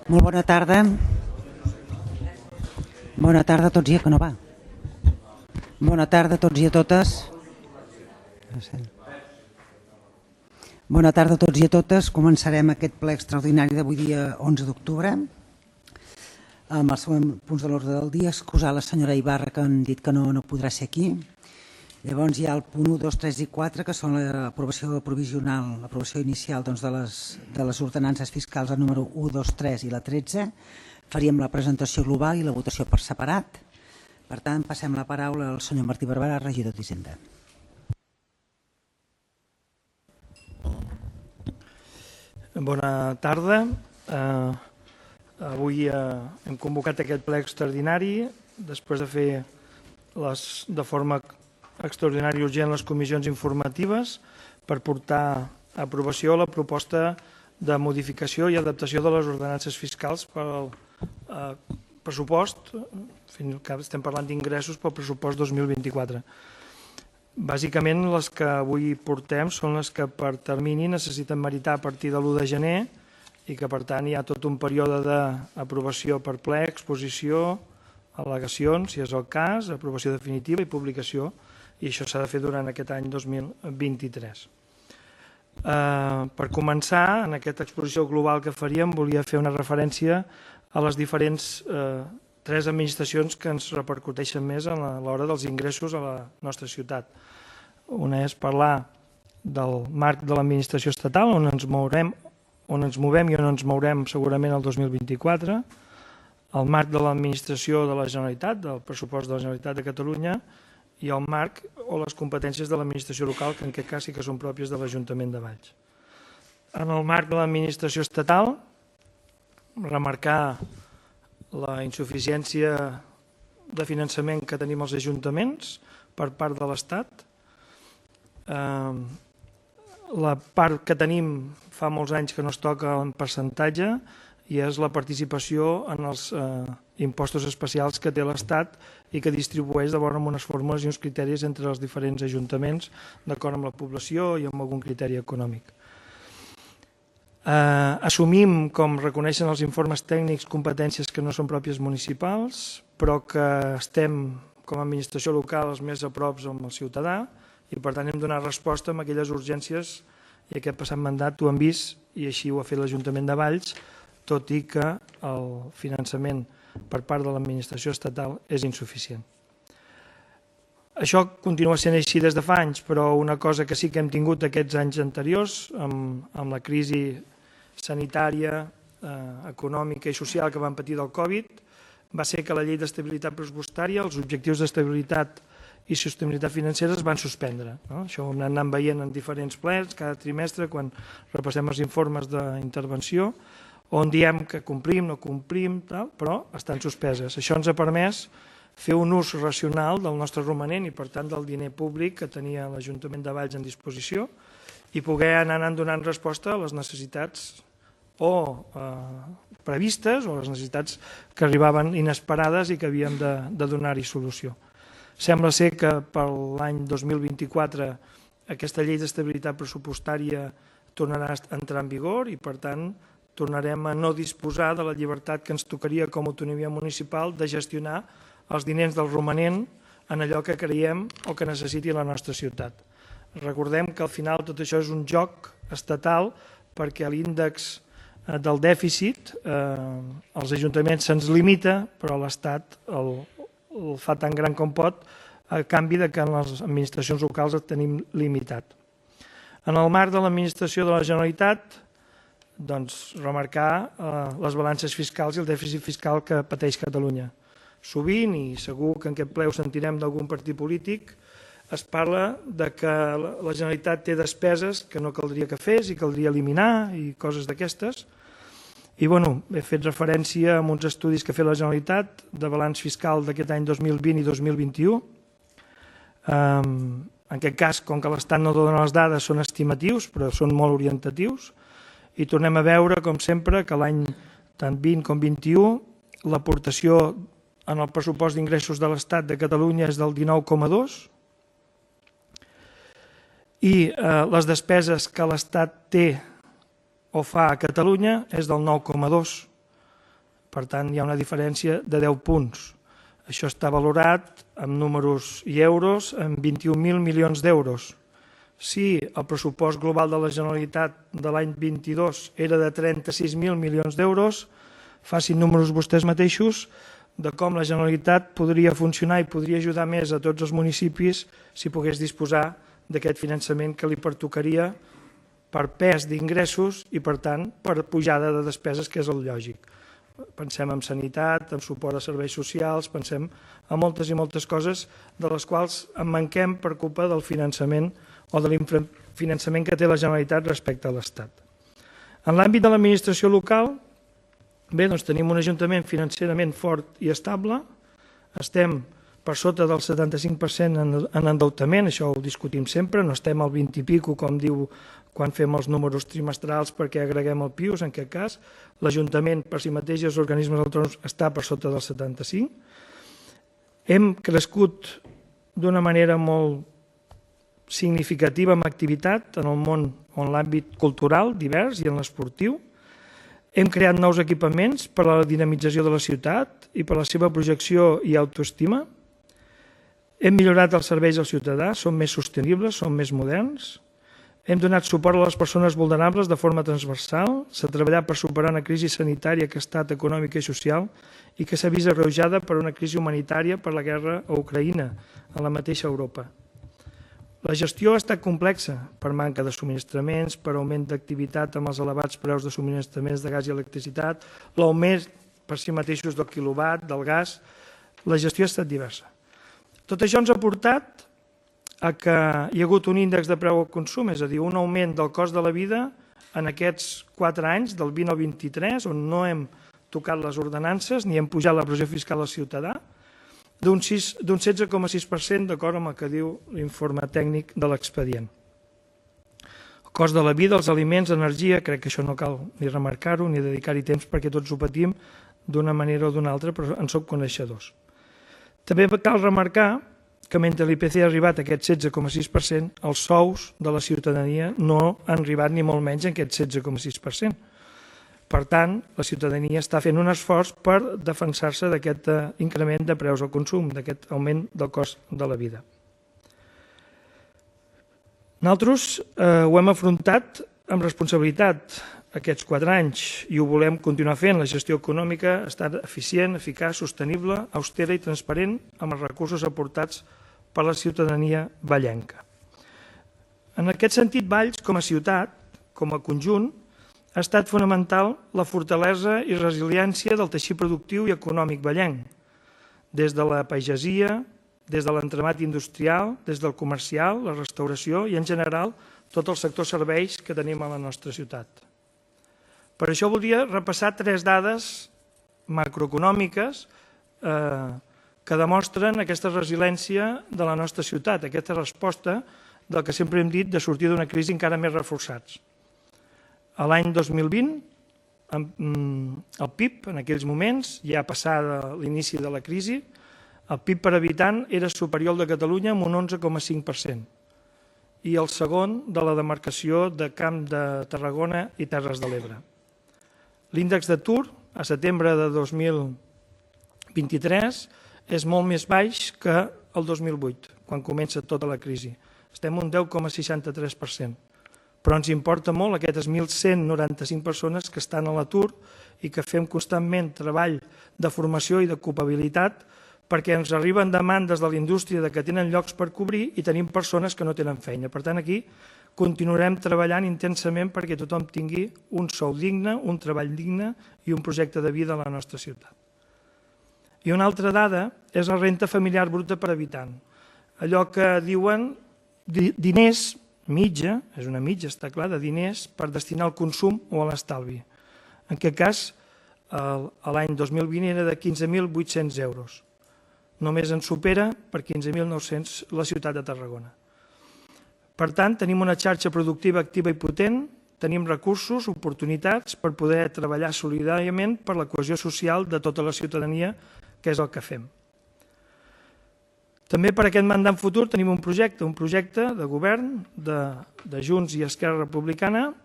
Molt bona tarda. Bona tarda a tots i a que no va. Bona tarda a tots i a totes. Bona tarda a tots i a totes. Començarem aquest ple extraordinari d'avui dia 11 d'octubre. Amb els següents punts de l'ordre del dia, excusar la senyora Ibarra, que han dit que no podrà ser aquí. Llavors hi ha el punt 1, 2, 3 i 4, que són l'aprovació provisional, l'aprovació inicial de les ordenances fiscals, el número 1, 2, 3 i la 13. Faríem la presentació global i la votació per separat. Per tant, passem la paraula al senyor Martí Barberà, regidor d'Hisenda. Bona tarda. Avui hem convocat aquest ple extraordinari després de fer de forma extraordinària i urgent les comissions informatives per portar a aprovació la proposta de modificació i adaptació de les ordenances fiscals per al pressupost, estem parlant d'ingressos pel pressupost 2024. Bàsicament les que avui portem són les que per termini necessiten meritar a partir de l'1 de gener i que per tant hi ha tot un període d'aprovació per ple, exposició, al·legacions, si és el cas, aprovació definitiva i publicació, i això s'ha de fer durant aquest any 2023. Per començar, en aquesta exposició global que faríem, volia fer una referència a les diferents tres administracions que ens repercuteixen més a l'hora dels ingressos a la nostra ciutat. Una és parlar del marc de l'administració estatal, on ens movem i on ens mourem segurament el 2024, el marc de l'administració de la Generalitat, del pressupost de la Generalitat de Catalunya, i el marc o les competències de l'administració local, que en aquest cas sí que són pròpies de l'Ajuntament de Valls. En el marc de l'administració estatal, remarcar la insuficiència de finançament que tenim els ajuntaments per part de l'Estat. La part que tenim fa molts anys que no es toca en percentatge i és la participació en els impostos especials que té l'Estat i que distribueix d'acord amb unes fórmules i uns criteris entre els diferents ajuntaments d'acord amb la població i amb algun criteri econòmic. Assumim, com reconeixen els informes tècnics, competències que no són pròpies municipals, però que estem, com a administració local, els més a prop amb el ciutadà i per tant hem donat resposta a aquelles urgències i aquest passat mandat ho hem vist i així ho ha fet l'Ajuntament de Valls, tot i que el finançament per part de l'administració estatal és insuficient. Això continua sent així des de fa anys, però una cosa que sí que hem tingut aquests anys anteriors, amb la crisi sanitària, econòmica i social que vam patir del Covid, va ser que la llei d'estabilitat pressupostària, els objectius d'estabilitat i sostenibilitat financera es van suspendre. Això ho hem anat veient en diferents plens, cada trimestre, quan repassem els informes d'intervenció, on diem que complim, no complim, però estan suspeses. Això ens ha permès fer un ús racional del nostre romanent i, per tant, del diner públic que tenia l'Ajuntament de Valls en disposició i poder anar donant resposta a les necessitats o previstes o les necessitats que arribaven inesperades i que havíem de donar-hi solució. Sembla ser que per l'any 2024 aquesta llei d'estabilitat pressupostària tornarà a entrar en vigor i, per tant, tornarem a no disposar de la llibertat que ens tocaria com a autonomia municipal de gestionar els diners del romanent en allò que creiem o que necessiti la nostra ciutat. Recordem que al final tot això és un joc estatal perquè l'índex del dèficit als ajuntaments se'ns limita, però l'Estat el fa tan gran com pot a canvi que en les administracions locals el tenim limitat. En el marc de l'administració de la Generalitat, remarcar les balances fiscals i el dèficit fiscal que pateix Catalunya. Sovint, i segur que en aquest ple ho sentirem d'algun partit polític, es parla que la Generalitat té despeses que no caldria que fes i caldria eliminar i coses d'aquestes. I he fet referència a uns estudis que ha fet la Generalitat de balanç fiscal d'aquest any 2020 i 2021. En aquest cas, com que l'Estat no dona les dades, són estimatius, però són molt orientatius. I tornem a veure, com sempre, que l'any tant 20 com 21 l'aportació en el pressupost d'ingressos de l'Estat de Catalunya és del 19,2 i les despeses que l'Estat té o fa a Catalunya és del 9,2. Per tant, hi ha una diferència de 10 punts. Això està valorat en números i euros en 21.000 milions d'euros. Si el pressupost global de la Generalitat de l'any 22 era de 36.000 milions d'euros, facin números vostès mateixos de com la Generalitat podria funcionar i podria ajudar més a tots els municipis si pogués disposar d'aquest finançament que li pertocaria per pes d'ingressos i, per tant, per pujada de despeses, que és el lògic. Pensem en sanitat, en suport a serveis socials, pensem en moltes i moltes coses de les quals en manquem per culpa del finançament o de l'infrafinançament que té la Generalitat respecte a l'Estat. En l'àmbit de l'administració local, bé, doncs tenim un ajuntament financerament fort i estable, estem per sota del 75% en endeutament, això ho discutim sempre, no estem al 20 i pico, com diu quan fem els números trimestrals perquè agreguem el PIUS, en aquest cas. L'Ajuntament per si mateix i els organismes autònoms està per sota del 75%. Hem crescut d'una manera molt significativa amb activitat en el món o en l'àmbit cultural divers i en l'esportiu. Hem creat nous equipaments per a la dinamització de la ciutat i per a la seva projecció i autoestima. Hem millorat els serveis al ciutadà, són més sostenibles, són més moderns. Hem donat suport a les persones vulnerables de forma transversal. S'ha treballat per superar una crisi sanitària que ha estat econòmica i social i que s'ha vist agreujada per una crisi humanitària per la guerra a Ucraïna, a la mateixa Europa. La gestió ha estat complexa per manca de subministraments, per augment d'activitat amb els elevats preus de subministraments de gas i electricitat, l'augment per si mateixos del quilowatt, del gas. La gestió ha estat diversa. Tot això ens ha portat a que hi ha hagut un índex de preu al consum, és a dir, un augment del cost de la vida en aquests 4 anys, del 20 al 23, on no hem tocat les ordenances ni hem pujat la pressió fiscal al ciutadà, d'un 16,6% d'acord amb el que diu l'informe tècnic de l'expedient. El cost de la vida, els aliments, energia, crec que això no cal ni remarcar-ho ni dedicar-hi temps perquè tots ho patim d'una manera o d'una altra, però en som coneixedors. També cal remarcar que mentre l'IPC ha arribat a aquest 16,6%, els sous de la ciutadania no han arribat ni molt menys a aquest 16,6%. Per tant, la ciutadania està fent un esforç per defensar-se d'aquest increment de preus al consum, d'aquest augment del cost de la vida. Nosaltres ho hem afrontat amb responsabilitat aquests 4 anys i ho volem continuar fent. La gestió econòmica ha estat eficient, eficaç, sostenible, austera i transparent amb els recursos aportats per la ciutadania vallenca. En aquest sentit, Valls, com a ciutat, com a conjunt, ha estat fonamental la fortalesa i resiliència del teixit productiu i econòmic vallenc, des de la pagesia, des de l'entramat industrial, des del comercial, la restauració i, en general, tot el sector serveis que tenim a la nostra ciutat. Per això voldria repassar 3 dades macroeconòmiques que demostren aquesta resiliència de la nostra ciutat, aquesta resposta del que sempre hem dit de sortir d'una crisi encara més reforçats. A l'any 2020, el PIB, en aquells moments, ja passada l'inici de la crisi, el PIB per habitant era superior al de Catalunya amb un 11,5% i el segon de la demarcació de Camp de Tarragona i Terres de l'Ebre. L'índex d'atur a setembre de 2023 és molt més baix que el 2008, quan comença tota la crisi. Estem un 10,63%. Però ens importa molt aquestes 1.195 persones que estan a l'atur i que fem constantment treball de formació i d'ocupabilitat perquè ens arriben demandes de la indústria que tenen llocs per cobrir i tenim persones que no tenen feina. Per tant, aquí continuarem treballant intensament perquè tothom tingui un sou digne, un treball digne i un projecte de vida a la nostra ciutat. I una altra dada és la renta familiar bruta per habitant. Allò que diuen diners mitja, és una mitja, està clar, de diners per destinar al consum o a l'estalvi. En aquest cas, l'any 2020 era de 15.800 euros. Només en supera per 15.900 la ciutat de Tarragona. Per tant, tenim una xarxa productiva activa i potent, tenim recursos, oportunitats per poder treballar solidàriament per la cohesió social de tota la ciutadania, que és el que fem. També per aquest mandat futur tenim un projecte de govern de Junts i Esquerra Republicana,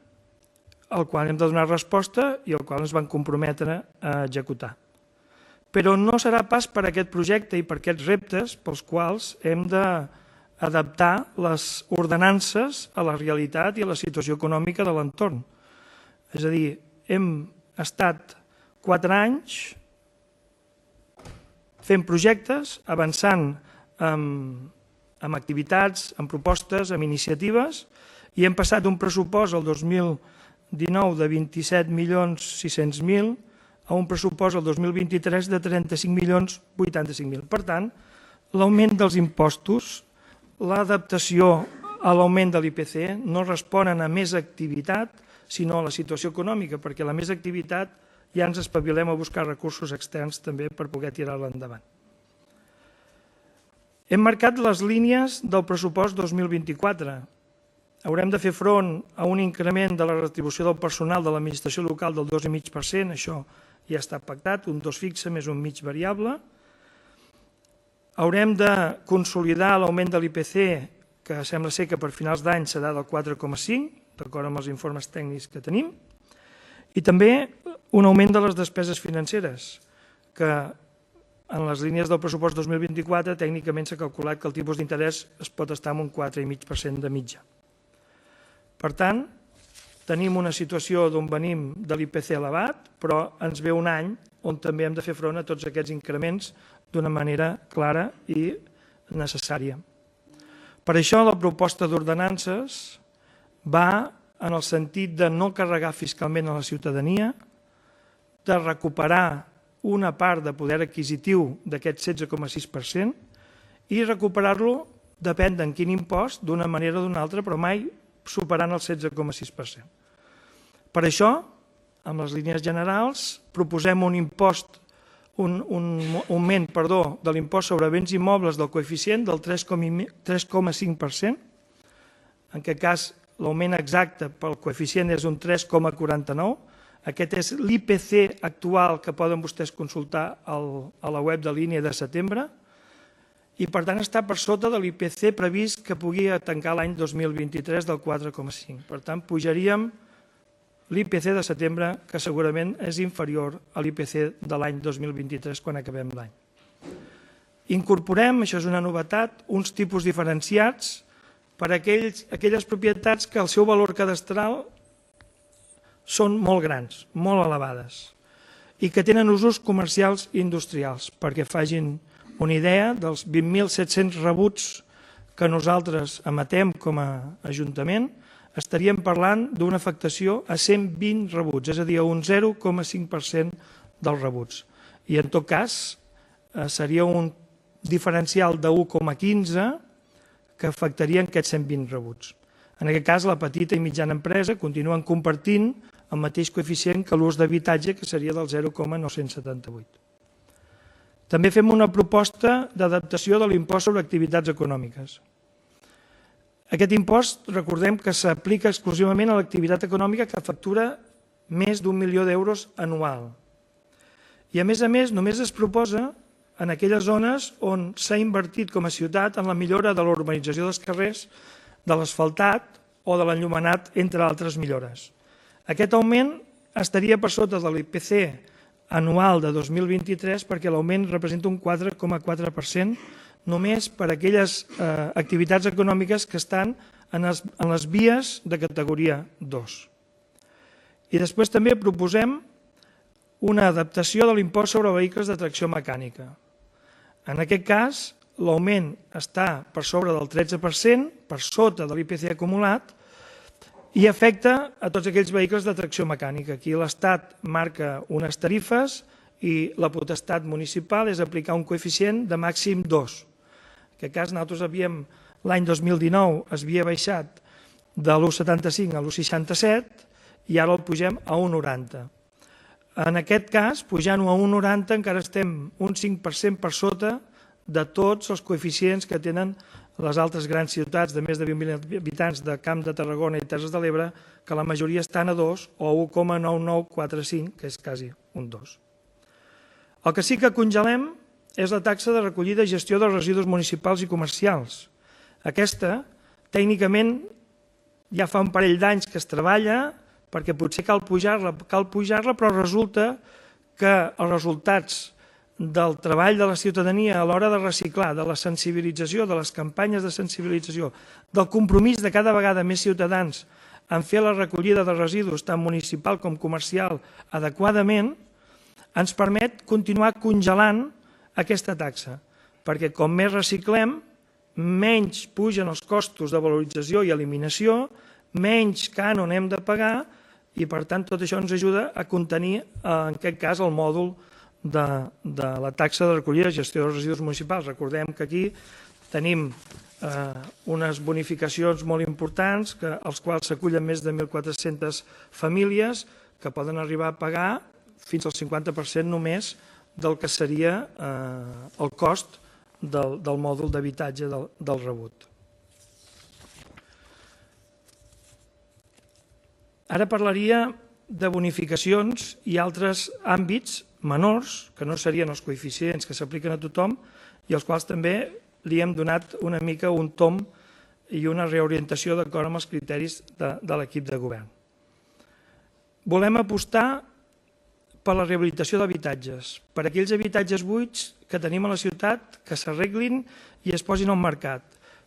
al qual hem de donar resposta i al qual ens van comprometre a executar. però no serà pas per aquest projecte i per aquests reptes pels quals hem d'adaptar les ordenances a la realitat i a la situació econòmica de l'entorn. És a dir, hem estat 4 anys fent projectes, avançant amb activitats, amb propostes, amb iniciatives, i hem passat un pressupost el 2019 de 27.600.000 a un pressupost el 2023 de 35.085.000. Per tant, l'augment dels impostos, l'adaptació a l'augment de l'IPC no responen a més activitat, sinó a la situació econòmica, perquè la més activitat ja ens espavilem a buscar recursos externs també per poder tirar-la endavant. Hem marcat les línies del pressupost 2024. Haurem de fer front a un increment de la retribució del personal de l'administració local del 2,5%, això ja està pactat, un 2 fixe més un mig variable. Haurem de consolidar l'augment de l'IPC, que sembla ser que per finals d'any serà del 4,5%, d'acord amb els informes tècnics que tenim, i també un augment de les despeses financeres, que en les línies del pressupost 2024 tècnicament s'ha calculat que el tipus d'interès es pot estar en un 4,5% de mitja. Per tant, tenim una situació d'on venim de l'IPC elevat, però ens ve un any on també hem de fer front a tots aquests increments d'una manera clara i necessària. Per això la proposta d'ordenances va en el sentit de no carregar fiscalment a la ciutadania, de recuperar una part de poder adquisitiu d'aquest 16,6% i recuperar-lo depèn d'en quin impost, d'una manera o d'una altra, però mai superant el 16,6%. Per això, amb les línies generals, proposem un augment de l'impost sobre béns immobles del coeficient del 3,5%, en aquest cas l'augment exacte pel coeficient és un 3,49%. Aquest és l'IPC actual que poden vostès consultar a la web de l'INE de setembre i, per tant, està per sota de l'IPC previst que pugui tancar l'any 2023 del 4,5%. Per tant, pujaríem l'IPC de setembre, que segurament és inferior a l'IPC de l'any 2023 quan acabem l'any. Incorporem, això és una novetat, uns tipus diferenciats per a aquelles propietats que el seu valor cadastral són molt grans, molt elevades, i que tenen usos comercials i industrials, perquè facin una idea dels 20.700 rebuts que nosaltres emetem com a Ajuntament, estaríem parlant d'una afectació a 120 rebuts, és a dir, a un 0,5% dels rebuts. I en tot cas seria un diferencial de 1,15 que afectarien aquests 120 rebuts. En aquest cas, la petita i mitjana empresa continuen compartint el mateix coeficient que l'ús d'habitatge, que seria del 0,978. També fem una proposta d'adaptació de l'impost sobre activitats econòmiques. Aquest impost, recordem que s'aplica exclusivament a l'activitat econòmica que factura més d'1 milió d'euros anual. I a més, només es proposa en aquelles zones on s'ha invertit com a ciutat en la millora de l'urbanització dels carrers, de l'asfaltat o de l'enllumenat, entre altres millores. Aquest augment estaria per sota de l'IPC anual de 2023 perquè l'augment representa un 4,4% només per a aquelles activitats econòmiques que estan en les vies de categoria 2. I després també proposem una adaptació de l'impost sobre vehicles de tracció mecànica. En aquest cas, l'augment està per sobre del 13%, per sota de l'IPC acumulat, i afecta a tots aquells vehicles de tracció mecànica. Aquí l'Estat marca unes tarifes i la potestat municipal és aplicar un coeficient de màxim 2. En aquest cas, nosaltres l'any 2019 es havia baixat de l'1,75 a l'1,67 i ara el pugem a 1,90. En aquest cas, pujant-ho a 1,90 encara estem un 5% per sota de tots els coeficients que tenen les altres grans ciutats de més de 20.000 habitants de Camp de Tarragona i Terres de l'Ebre, que la majoria estan a 2 o 1,9945, que és quasi un 2. El que sí que congelem és la taxa de recollida i gestió dels residus municipals i comercials. Aquesta, tècnicament, ja fa un parell d'anys que es treballa, perquè potser cal pujar-la, però resulta que els resultats del treball de la ciutadania a l'hora de reciclar, de la sensibilització, de les campanyes de sensibilització, del compromís de cada vegada més ciutadans en fer la recollida de residus, tant municipal com comercial, adequadament, ens permet continuar congelant aquesta taxa, perquè com més reciclem, menys pugen els costos de valorització i eliminació, menys cànon hem de pagar i, per tant, tot això ens ajuda a contenir, en aquest cas, el mòdul de la taxa de recollida i gestió dels residus municipals. Recordem que aquí tenim unes bonificacions molt importants als quals s'acullen més de 1.400 famílies que poden arribar a pagar fins al 50% només del que seria el cost del mòdul d'habitatge del rebut. Ara parlaria de bonificacions i altres àmbits menors, que no serien els coeficients que s'apliquen a tothom i als quals també li hem donat una mica un tomb i una reorientació d'acord amb els criteris de l'equip de govern. Volem apostar per la rehabilitació d'habitatges, per aquells habitatges buits que tenim a la ciutat que s'arreglin i es posin al mercat,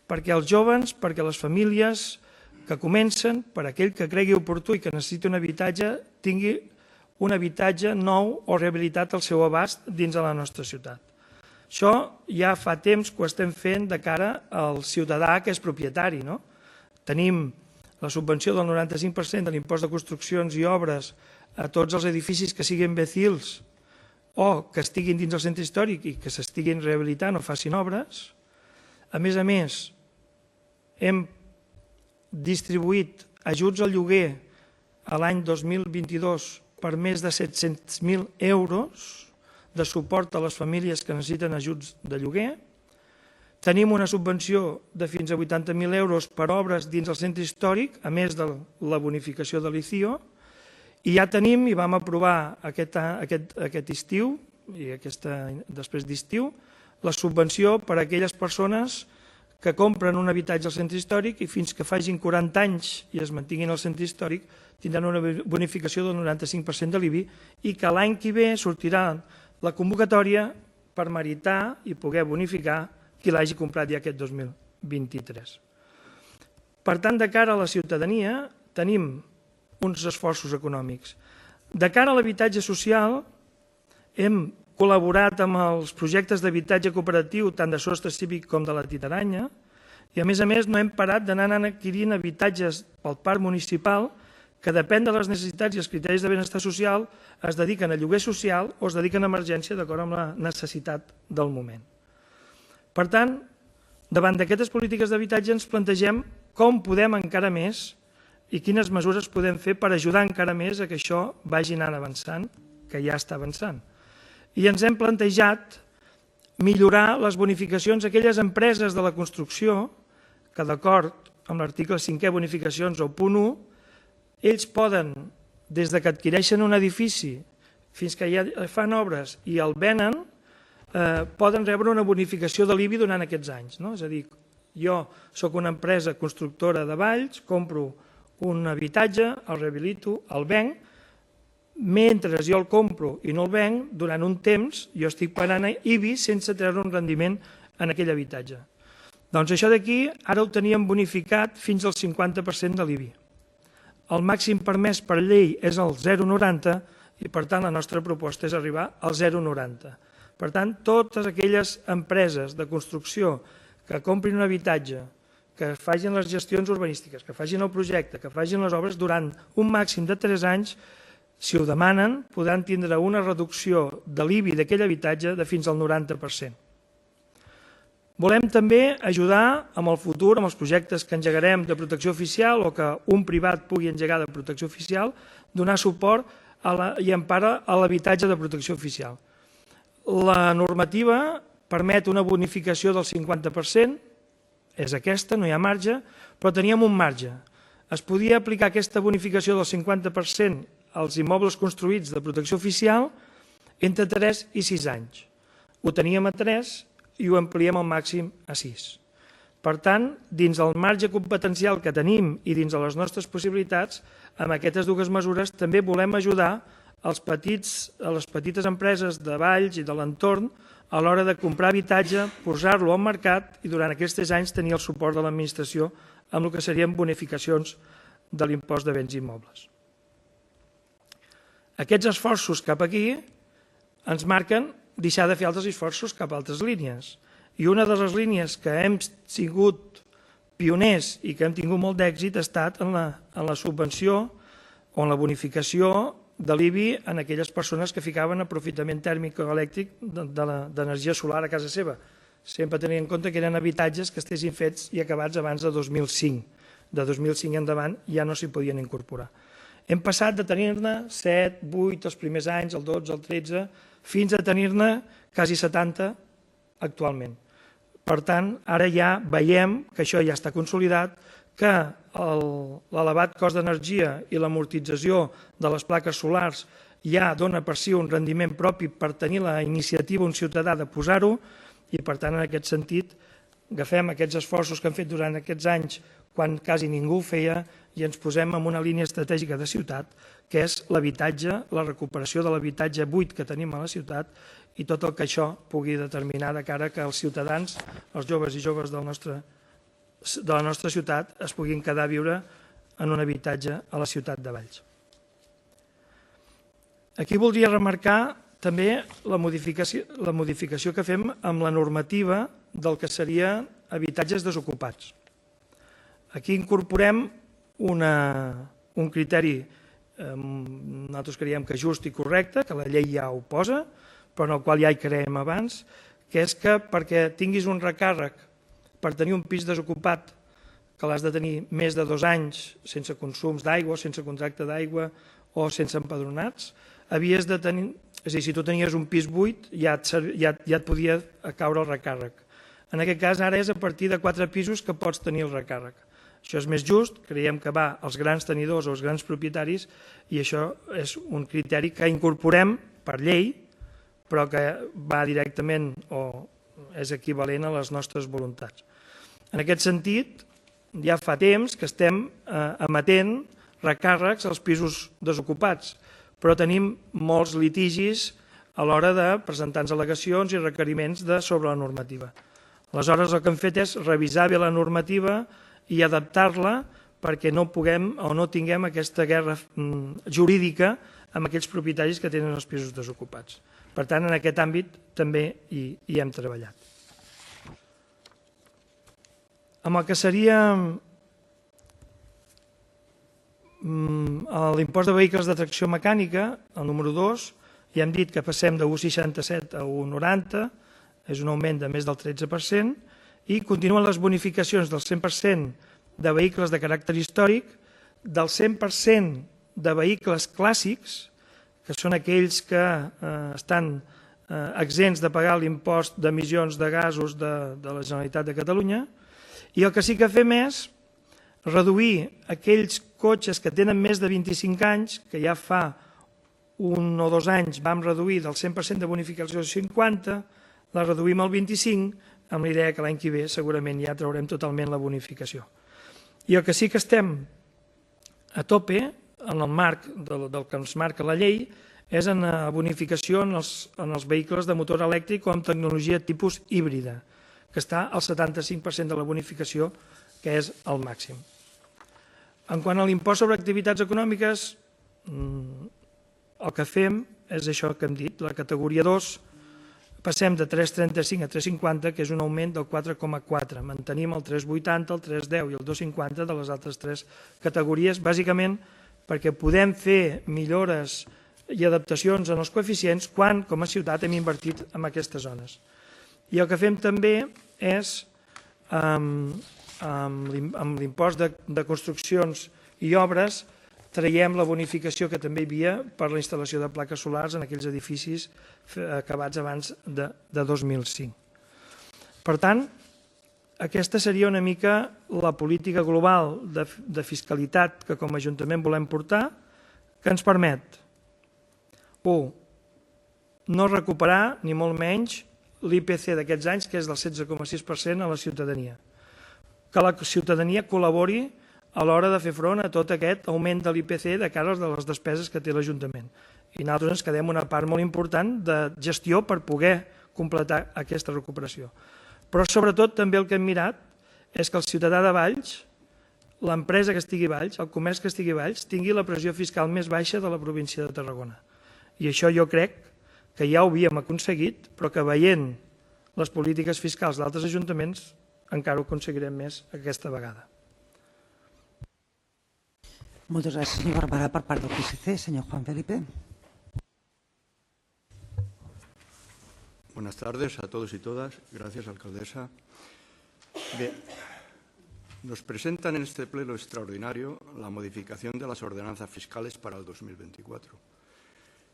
perquè els joves, perquè les famílies que comencen, per aquell que cregui oportú i que necessiti un habitatge, tingui un habitatge nou o rehabilitat al seu abast dins de la nostra ciutat. Això ja fa temps que ho estem fent de cara al ciutadà que és propietari. Tenim la subvenció del 95% de l'impost de construccions i obres a tots els edificis que siguin becils o que estiguin dins del centre històric i que s'estiguin rehabilitant o facin obres. A més, hem distribuït ajuts al lloguer a l'any 2022 per més de 700.000 euros de suport a les famílies que necessiten ajuts de lloguer. Tenim una subvenció de fins a 80.000 euros per obres dins el centre històric, a més de la bonificació de l'ICIO, i ja tenim, i vam aprovar aquest estiu, i després d'estiu, la subvenció per a aquelles persones que compren un habitatge al centre històric i fins que facin 40 anys i es mantinguin al centre històric tindran una bonificació del 95% de l'IBI i que l'any que ve sortirà la convocatòria per meritar i poder bonificar qui l'hagi comprat ja aquest 2023. Per tant, de cara a la ciutadania tenim uns esforços econòmics. De cara a l'habitatge social hem col·laborat amb els projectes d'habitatge cooperatiu tant de Sostre Cívic com de la Titaranya i a més no hem parat d'anar adquirint habitatges pel parc municipal que depèn de les necessitats i els criteris de benestar social es dediquen a lloguer social o es dediquen a emergència d'acord amb la necessitat del moment. Per tant, davant d'aquestes polítiques d'habitatge ens plantegem com podem encara més i quines mesures podem fer per ajudar encara més a que això vagi anant avançant, que ja està avançant. I ens hem plantejat millorar les bonificacions a aquelles empreses de la construcció que, d'acord amb l'article 5è, bonificacions o punt 1, ells poden, des que adquireixen un edifici fins que ja fan obres i el venen, poden rebre una bonificació de l'IBI durant aquests anys. És a dir, jo soc una empresa constructora de Valls, compro un habitatge, el rehabilito, el venc, mentre jo el compro i no el venc, durant un temps jo estic pagant IBI sense treure un rendiment en aquell habitatge. Doncs això d'aquí ara ho teníem bonificat fins al 50% de l'IBI. El màxim permès per llei és el 0,90 i per tant la nostra proposta és arribar al 0,90. Per tant, totes aquelles empreses de construcció que comprin un habitatge, que facin les gestions urbanístiques, que facin el projecte, que facin les obres durant un màxim de 3 anys, si ho demanen, podran tindre una reducció de l'IBI d'aquell habitatge de fins al 90%. Volem també ajudar amb el futur, amb els projectes que engegarem de protecció oficial o que un privat pugui engegar de protecció oficial, donar suport i empara a l'habitatge de protecció oficial. La normativa permet una bonificació del 50%, és aquesta, no hi ha marge, però teníem un marge. Es podia aplicar aquesta bonificació del 50% als immobles construïts de protecció oficial entre 3 i 6 anys. Ho teníem a 3 i ho ampliem al màxim a 6. Per tant, dins el marge competencial que tenim i dins de les nostres possibilitats, amb aquestes dues mesures també volem ajudar a les petites empreses de Valls i de l'entorn a l'hora de comprar habitatge, posar-lo al mercat i durant aquests 3 anys tenir el suport de l'administració amb el que serien bonificacions de l'impost de béns immobles. Aquests esforços cap aquí ens marquen deixar de fer altres esforços cap a altres línies. I una de les línies que hem sigut pioners i que hem tingut molt d'èxit ha estat en la subvenció o en la bonificació de l'IBI en aquelles persones que ficaven aprofitament tèrmic o elèctric d'energia solar a casa seva, sempre tenint en compte que eren habitatges que estessin fets i acabats abans de 2005. De 2005 endavant ja no s'hi podien incorporar. Hem passat de tenir-ne 7, 8 els primers anys, el 12, el 13, fins a tenir-ne quasi 70 actualment. Per tant, ara ja veiem que això ja està consolidat, que l'elevat cost d'energia i l'amortització de les plaques solars ja dona per si un rendiment propi per tenir la iniciativa un ciutadà de posar-ho i, per tant, en aquest sentit, agafem aquests esforços que hem fet durant aquests anys quan quasi ningú ho feia i ens posem en una línia estratègica de ciutat, que és l'habitatge, la recuperació de l'habitatge buit que tenim a la ciutat i tot el que això pugui determinar de cara que els ciutadans, els joves i joves de la nostra ciutat es puguin quedar a viure en un habitatge a la ciutat de Valls. Aquí voldria remarcar també la modificació que fem amb la normativa del que seria habitatges desocupats. Aquí incorporem un criteri, nosaltres creiem que just i correcte, que la llei ja ho posa, però en el qual ja hi creiem abans, que és que perquè tinguis un recàrrec per tenir un pis desocupat, que l'has de tenir més de 2 anys sense consums d'aigua, sense contracte d'aigua o sense empadronats, havies de tenir, és a dir, si tu tenies un pis buit ja et podia caure el recàrrec. En aquest cas ara és a partir de 4 pisos que pots tenir el recàrrec. Això és més just, creiem que va als grans tenidors o als grans propietaris i això és un criteri que incorporem per llei, però que va directament o és equivalent a les nostres voluntats. En aquest sentit, ja fa temps que estem emetent recàrrecs als pisos desocupats, però tenim molts litigis a l'hora de presentar-nos al·legacions i requeriments sobre la normativa. Aleshores, el que hem fet és revisar bé la normativa i adaptar-la perquè no puguem o no tinguem aquesta guerra jurídica amb aquells propietaris que tenen els pisos desocupats. Per tant, en aquest àmbit també hi hem treballat. Amb el que seria l'impost de vehicles de tracció mecànica, el número 2, ja hem dit que passem de 1,67 a 1,90, és un augment de més del 13%, i continuen les bonificacions del 100% de vehicles de caràcter històric, del 100% de vehicles clàssics, que són aquells que estan exempts de pagar l'impost d'emissions de gasos de la Generalitat de Catalunya, i el que sí que fem és reduir aquells cotxes que tenen més de 25 anys, que ja fa 1 o 2 anys vam reduir del 100% de bonificació al 50%, la reduïm al 25%, amb la idea que l'any que ve segurament ja traurem totalment la bonificació. I el que sí que estem a tope, en el marc del que ens marca la llei, és en la bonificació en els vehicles de motor elèctric o amb tecnologia tipus híbrida, que està al 75% de la bonificació, que és el màxim. En quant a l'impost sobre activitats econòmiques, el que fem és això que hem dit, la categoria 2, passem de 3,35 a 3,50, que és un augment del 4,4. Mantenim el 3,80, el 3,10 i el 2,50 de les altres 3 categories, bàsicament perquè podem fer millores i adaptacions en els coeficients quan, com a ciutat, hem invertit en aquestes zones. I el que fem també és, amb l'impost de construccions i obres, traiem la bonificació que també hi havia per la instal·lació de plaques solars en aquells edificis acabats abans de 2005. Per tant, aquesta seria una mica la política global de fiscalitat que com a Ajuntament volem portar, que ens permet, 1, no recuperar, ni molt menys, l'IPC d'aquests anys, que és del 16,6% a la ciutadania. Que la ciutadania col·labori a l'hora de fer front a tot aquest augment de l'IPC de cara a les despeses que té l'Ajuntament. I nosaltres ens quedem una part molt important de gestió per poder completar aquesta recuperació. Però sobretot també el que hem mirat és que el ciutadà de Valls, l'empresa que estigui a Valls, el comerç que estigui a Valls, tingui la pressió fiscal més baixa de la província de Tarragona. I això jo crec que ja ho havíem aconseguit, però que veient les polítiques fiscals d'altres ajuntaments encara ho aconseguirem més aquesta vegada. Moltes gràcies, senyor Barberà. Per part del PSC, senyor Juan Felipe. Buenas tardes a todos y todas. Gracias, alcaldesa. Bien, nos presentan en este pleno extraordinario la modificación de las ordenanzas fiscales para el 2024.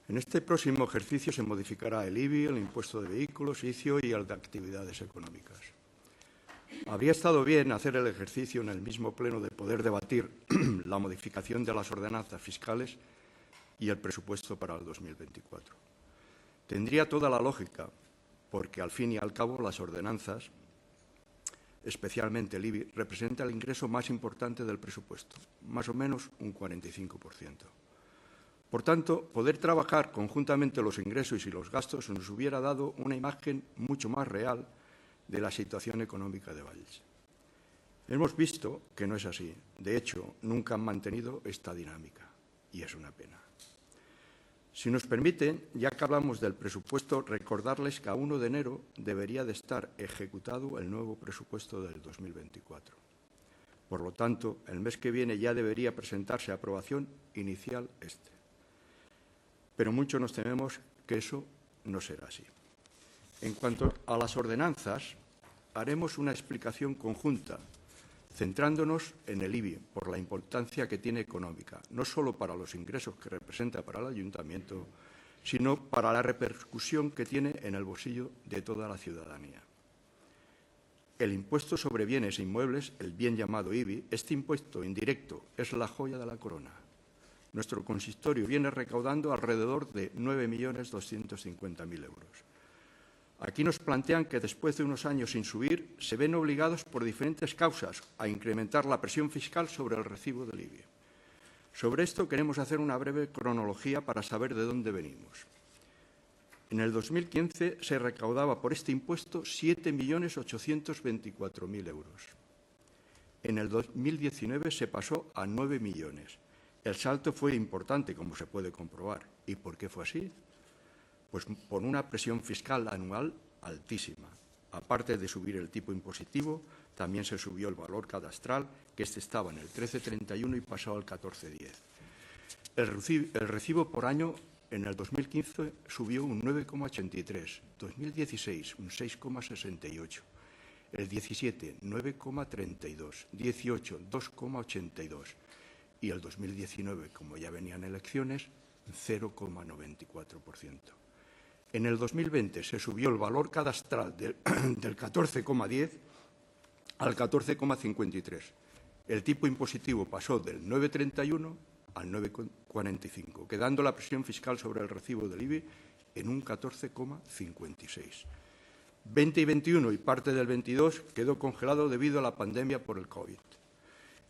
En este próximo ejercicio se modificará el IBI, el impuesto de vehículos, ICIO y el de actividades económicas. Habría estado bien hacer el ejercicio en el mismo pleno de poder debatir la modificación de las ordenanzas fiscales y el presupuesto para el 2024. Tendría toda la lógica, porque al fin y al cabo las ordenanzas, especialmente el IBI, representa el ingreso más importante del presupuesto, más o menos un 45%. Por tanto, poder trabajar conjuntamente los ingresos y los gastos nos hubiera dado una imagen mucho más real de la situación económica de Valls. Hemos visto que no es así. De hecho, nunca han mantenido esta dinámica y es una pena. Si nos permiten, ya que hablamos del presupuesto, recordarles que a 1 de enero debería de estar ejecutado el nuevo presupuesto del 2024. Por lo tanto, el mes que viene ya debería presentarse a aprobación inicial este. Pero mucho nos tememos que eso no será así. En cuanto a las ordenanzas, haremos una explicación conjunta, centrándonos en el IBI por la importancia que tiene económica, no solo para los ingresos que representa para el ayuntamiento, sino para la repercusión que tiene en el bolsillo de toda la ciudadanía. El impuesto sobre bienes e inmuebles, el bien llamado IBI, este impuesto indirecto es la joya de la corona. Nuestro consistorio viene recaudando alrededor de 9.250.000 euros. Aquí nos plantean que después de unos años sin subir, se ven obligados por diferentes causas a incrementar la presión fiscal sobre el recibo del IBI. Sobre esto queremos hacer una breve cronología para saber de dónde venimos. En el 2015 se recaudaba por este impuesto 7.824.000 euros. En el 2019 se pasó a 9 millones. El salto fue importante, como se puede comprobar. ¿Y por qué fue así? Pues por una presión fiscal anual altísima. Aparte de subir el tipo impositivo, también se subió el valor cadastral, que este estaba en el 13,31 y pasó al 14,10. El recibo por año en el 2015 subió un 9,83, 2016 un 6,68, el 17 9,32, 18 2,82 y el 2019, como ya venían elecciones, 0,94%. En el 2020 se subió el valor cadastral del 14,10 al 14,53. El tipo impositivo pasó del 9,31 al 9,45, quedando la presión fiscal sobre el recibo del IBI en un 14,56. 20 y 21 y parte del 22 quedó congelado debido a la pandemia por el COVID.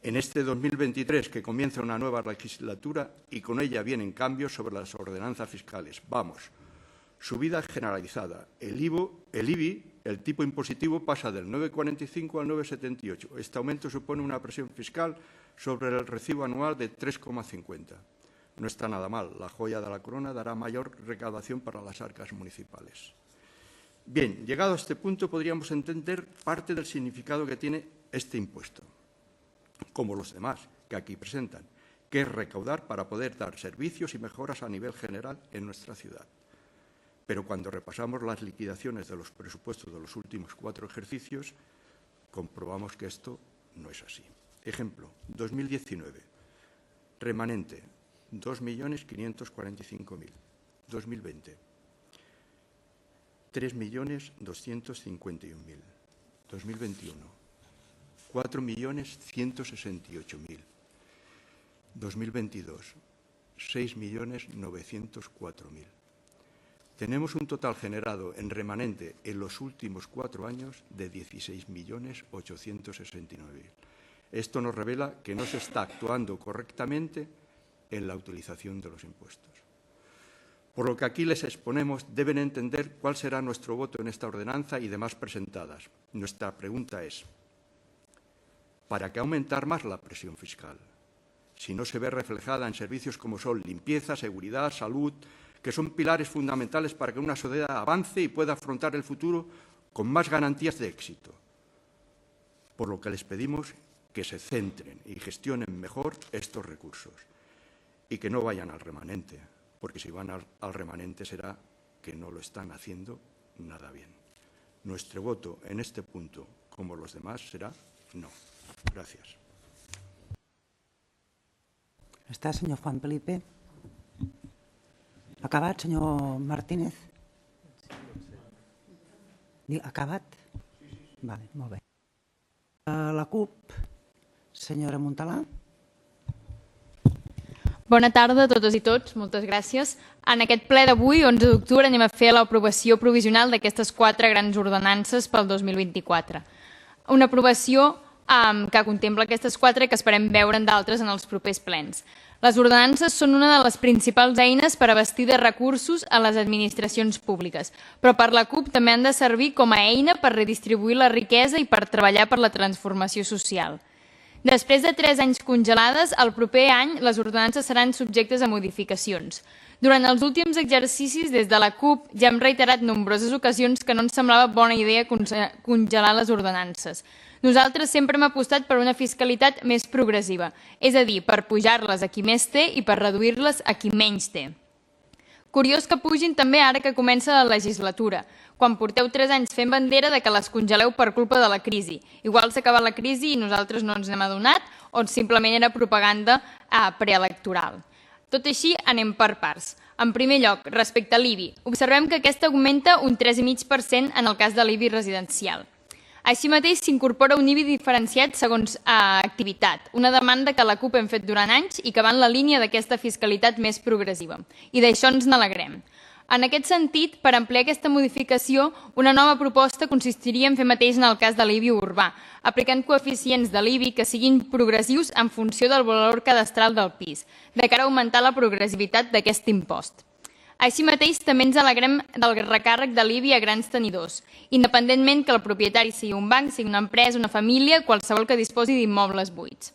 En este 2023, que comienza una nueva legislatura y con ella vienen cambios sobre las ordenanzas fiscales. Vamos, subida generalizada. El IBI, el tipo impositivo, pasa del 9,45 al 9,78. Este aumento supone una presión fiscal sobre el recibo anual de 3,50. No está nada mal. La joya de la corona dará mayor recaudación para las arcas municipales. Bien, llegado a este punto podríamos entender parte del significado que tiene este impuesto, como los demás que aquí presentan, que es recaudar para poder dar servicios y mejoras a nivel general en nuestra ciudad. Pero cuando repasamos las liquidaciones de los presupuestos de los últimos 4 ejercicios, comprobamos que esto no es así. Ejemplo, 2019, remanente, 2.545.000. 2020, 3.251.000. 2021, 4.168.000. 2022, 6.904.000. Tenemos un total generado en remanente en los últimos 4 años de 16.869.000. Esto nos revela que no se está actuando correctamente en la utilización de los impuestos. Por lo que aquí les exponemos, deben entender cuál será nuestro voto en esta ordenanza y demás presentadas. Nuestra pregunta es, ¿para qué aumentar más la presión fiscal? Si no se ve reflejada en servicios como son limpieza, seguridad, salud, que son pilares fundamentales para que una sociedad avance y pueda afrontar el futuro con más garantías de éxito. Por lo que les pedimos que se centren y gestionen mejor estos recursos y que no vayan al remanente, porque si van al remanente será que no lo están haciendo nada bien. Nuestro voto en este punto, como los demás, será no. Gracias. Està, senyor Juan Felipe? Acabat, senyor Martínez? Acabat? Vale, molt bé. La CUP, senyora Montalà. Bona tarda a totes i tots, moltes gràcies. En aquest ple d'avui, 11 d'octubre, anem a fer l'aprovació provisional d'aquestes 4 grans ordenances pel 2024. Una aprovació que contempla aquestes 4 i que esperem veure'n d'altres en els propers plens. Les ordenances són una de les principals eines per abastir de recursos a les administracions públiques, però per la CUP també han de servir com a eina per redistribuir la riquesa i per treballar per la transformació social. Després de 3 anys congelades, el proper any les ordenances seran subjectes a modificacions. Durant els últims exercicis, des de la CUP, ja hem reiterat nombroses ocasions que no ens semblava bona idea congelar les ordenances. Nosaltres sempre hem apostat per una fiscalitat més progressiva, és a dir, per pujar-les a qui més té i per reduir-les a qui menys té. Curiós que pugin també ara que comença la legislatura, quan porteu 3 anys fent bandera de que les congeleu per culpa de la crisi. Igual s'ha acabat la crisi i nosaltres no ens n'hem adonat o simplement era propaganda preelectoral. Tot així, anem per parts. En primer lloc, respecte a l'IBI, observem que aquesta augmenta un 3,5% en el cas de l'IBI residencial. Així mateix s'incorpora un IBI diferenciat segons activitat, una demanda que la CUP hem fet durant anys i que va en la línia d'aquesta fiscalitat més progressiva. I d'això ens n'alegrem. En aquest sentit, per ampliar aquesta modificació, una nova proposta consistiria en fer mateix en el cas de l'IBI urbà, aplicant coeficients de l'IBI que siguin progressius en funció del valor cadastral del pis, de cara a augmentar la progressivitat d'aquest impost. Així mateix, també ens alegrem del recàrrec de l'IBI a grans tenidors, independentment que el propietari sigui un banc, sigui una empresa, una família, qualsevol que disposi d'immobles buits.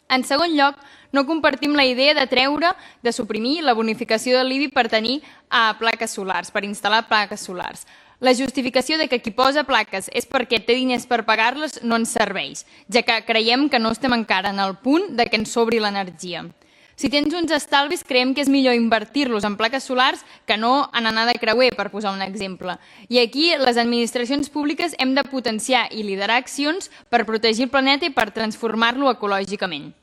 En segon lloc, no compartim la idea de suprimir la bonificació de l'IBI per tenir plaques solars, per instal·lar plaques solars. La justificació de que qui posa plaques és perquè té diners per pagar-les no ens serveix, ja que creiem que no estem encara en el punt de que ens sobri l'energia. Si tens uns estalvis, creiem que és millor invertir-los en plaques solars que no en anar de creuer, per posar un exemple. I aquí les administracions públiques hem de potenciar i liderar accions per protegir el planeta i per transformar-lo ecològicament.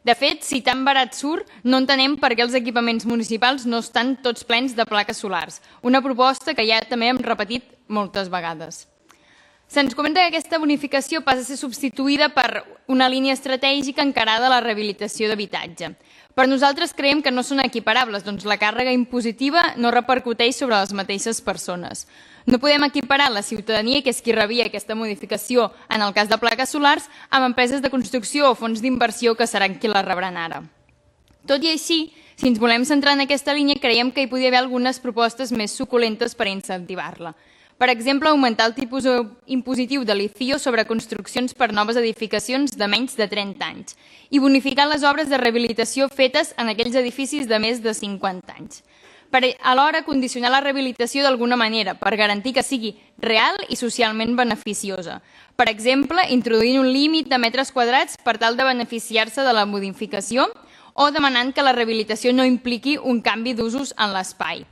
De fet, si tan barat surt, no entenem per què els equipaments municipals no estan tots plens de plaques solars, una proposta que ja també hem repetit moltes vegades. Se'ns comenta que aquesta bonificació passa a ser substituïda per una línia estratègica encarada a la rehabilitació d'habitatge. Per nosaltres creiem que no són equiparables, doncs la càrrega impositiva no repercuteix sobre les mateixes persones. No podem equiparar la ciutadania, que és qui rebia aquesta modificació en el cas de plaques solars, amb empreses de construcció o fons d'inversió que seran qui la rebran ara. Tot i així, si ens volem centrar en aquesta línia, creiem que hi podria haver algunes propostes més suculentes per incentivar-la. Per exemple, augmentar el tipus impositiu de l'ICIO sobre construccions per noves edificacions de menys de 30 anys i bonificar les obres de rehabilitació fetes en aquells edificis de més de 50 anys. Per alhora, condicionar la rehabilitació d'alguna manera, per garantir que sigui real i socialment beneficiosa. Per exemple, introduint un límit de metres quadrats per tal de beneficiar-se de la modificació o demanant que la rehabilitació no impliqui un canvi d'usos en l'espai.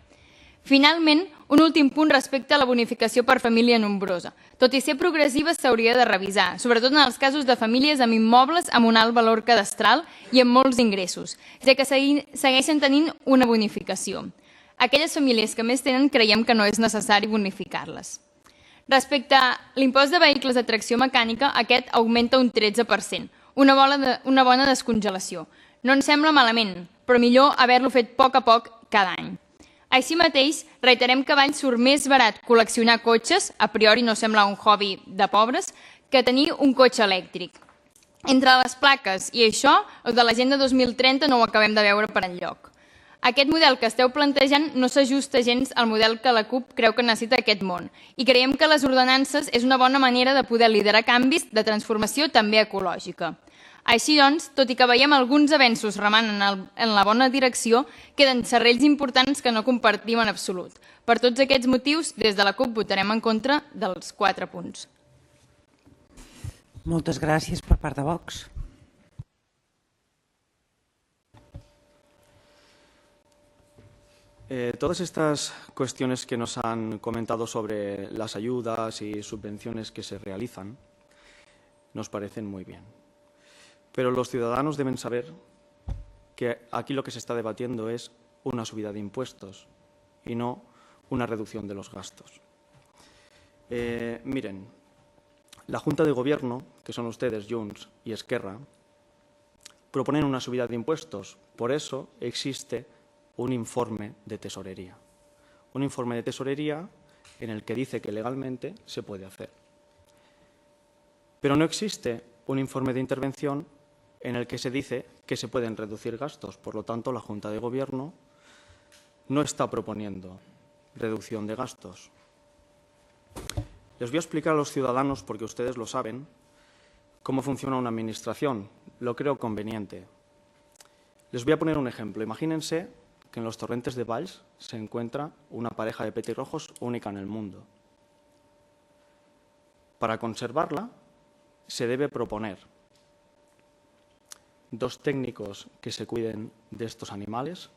Finalment, un últim punt respecte a la bonificació per família nombrosa. Tot i ser progressiva, s'hauria de revisar, sobretot en els casos de famílies amb immobles amb un alt valor cadastral i amb molts ingressos, ja que segueixen tenint una bonificació. Aquelles famílies que més tenen creiem que no és necessari bonificar-les. Respecte a l'impost de vehicles de tracció mecànica, aquest augmenta un 13%, una bona descongelació. No ens sembla malament, però millor haver-lo fet a poc cada any. Així mateix, reiterem que a Valls surt més barat col·leccionar cotxes, a priori no sembla un hobby de pobres, que tenir un cotxe elèctric. Entre les plaques i això, el de l'Agenda 2030 no ho acabem de veure per enlloc. Aquest model que esteu plantejant no s'ajusta gens al model que la CUP creu que necessita aquest món i creiem que les ordenances és una bona manera de poder liderar canvis de transformació també ecològica. Així doncs, tot i que veiem alguns avenços remant en la bona direcció, queden serrells importants que no compartim en absolut. Per tots aquests motius, des de la CUP votarem en contra dels 4 punts. Moltes gràcies per part de Vox. Todas estas cuestiones que nos han comentado sobre las ayudas y subvenciones que se realizan nos parecen muy bien. Pero los ciudadanos deben saber que aquí lo que se está debatiendo es una subida de impuestos y no una reducción de los gastos. Miren, la Junta de Gobierno, que son ustedes, Junts y Esquerra, proponen una subida de impuestos. Por eso existe un informe de tesorería. Un informe de tesorería en el que dice que legalmente se puede hacer. Pero no existe un informe de intervención en el que se dice que se pueden reducir gastos. Por lo tanto, la Junta de Gobierno no está proponiendo reducción de gastos. Les voy a explicar a los ciudadanos, porque ustedes lo saben, cómo funciona una administración. Lo creo conveniente. Les voy a poner un ejemplo. Imagínense que en los torrentes de Valls se encuentra una pareja de petirrojos única en el mundo. Para conservarla, se debe proponer 2 técnicos que se cuiden de estos animales,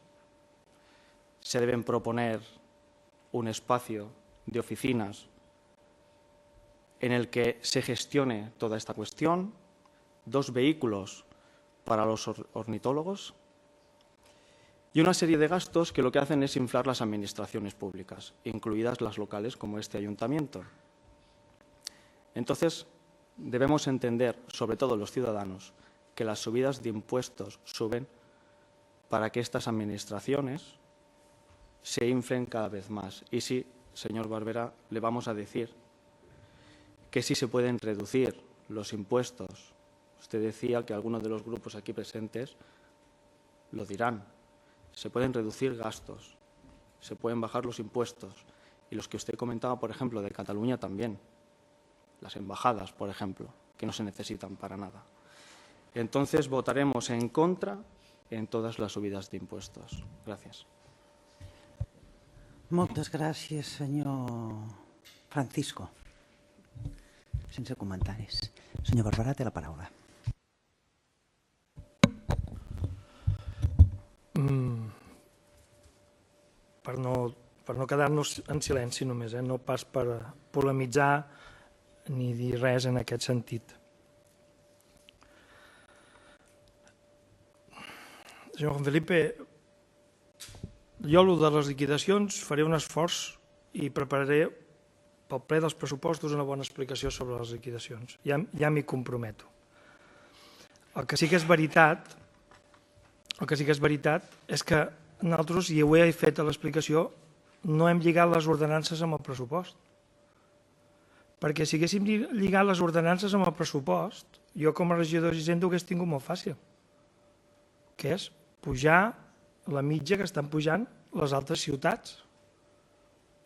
se deben proponer un espacio de oficinas en el que se gestione toda esta cuestión, 2 vehículos para los ornitólogos y una serie de gastos que lo que hacen es inflar las administraciones públicas, incluidas las locales como este ayuntamiento. Entonces, debemos entender, sobre todo los ciudadanos, que las subidas de impuestos suben para que estas administraciones se inflen cada vez más. Y sí, señor Barberá, le vamos a decir que sí se pueden reducir los impuestos. Usted decía que algunos de los grupos aquí presentes lo dirán. Se pueden reducir gastos, se pueden bajar los impuestos. Y los que usted comentaba, por ejemplo, de Cataluña también. Las embajadas, por ejemplo, que no se necesitan para nada. Entonces, votaremos en contra en todas las subidas de impuestos. Gracias. Moltes gràcies, senyor Francisco. Sense comentaris. Senyor Barberà, té la paraula. Per no quedar-nos en silenci només, no pas per polemitzar ni dir res en aquest sentit. Senyor Juan Felipe, jo de les liquidacions faré un esforç i prepararé pel ple dels pressupostos una bona explicació sobre les liquidacions. Ja m'hi comprometo. El que sí que és veritat és que nosaltres, i ho he fet a l'explicació, no hem lligat les ordenances amb el pressupost. Perquè si haguéssim lligat les ordenances amb el pressupost, jo com a regidor d'Hisenda ho hagués tingut molt fàcil, que és pujar la mitja que estan pujant les altres ciutats.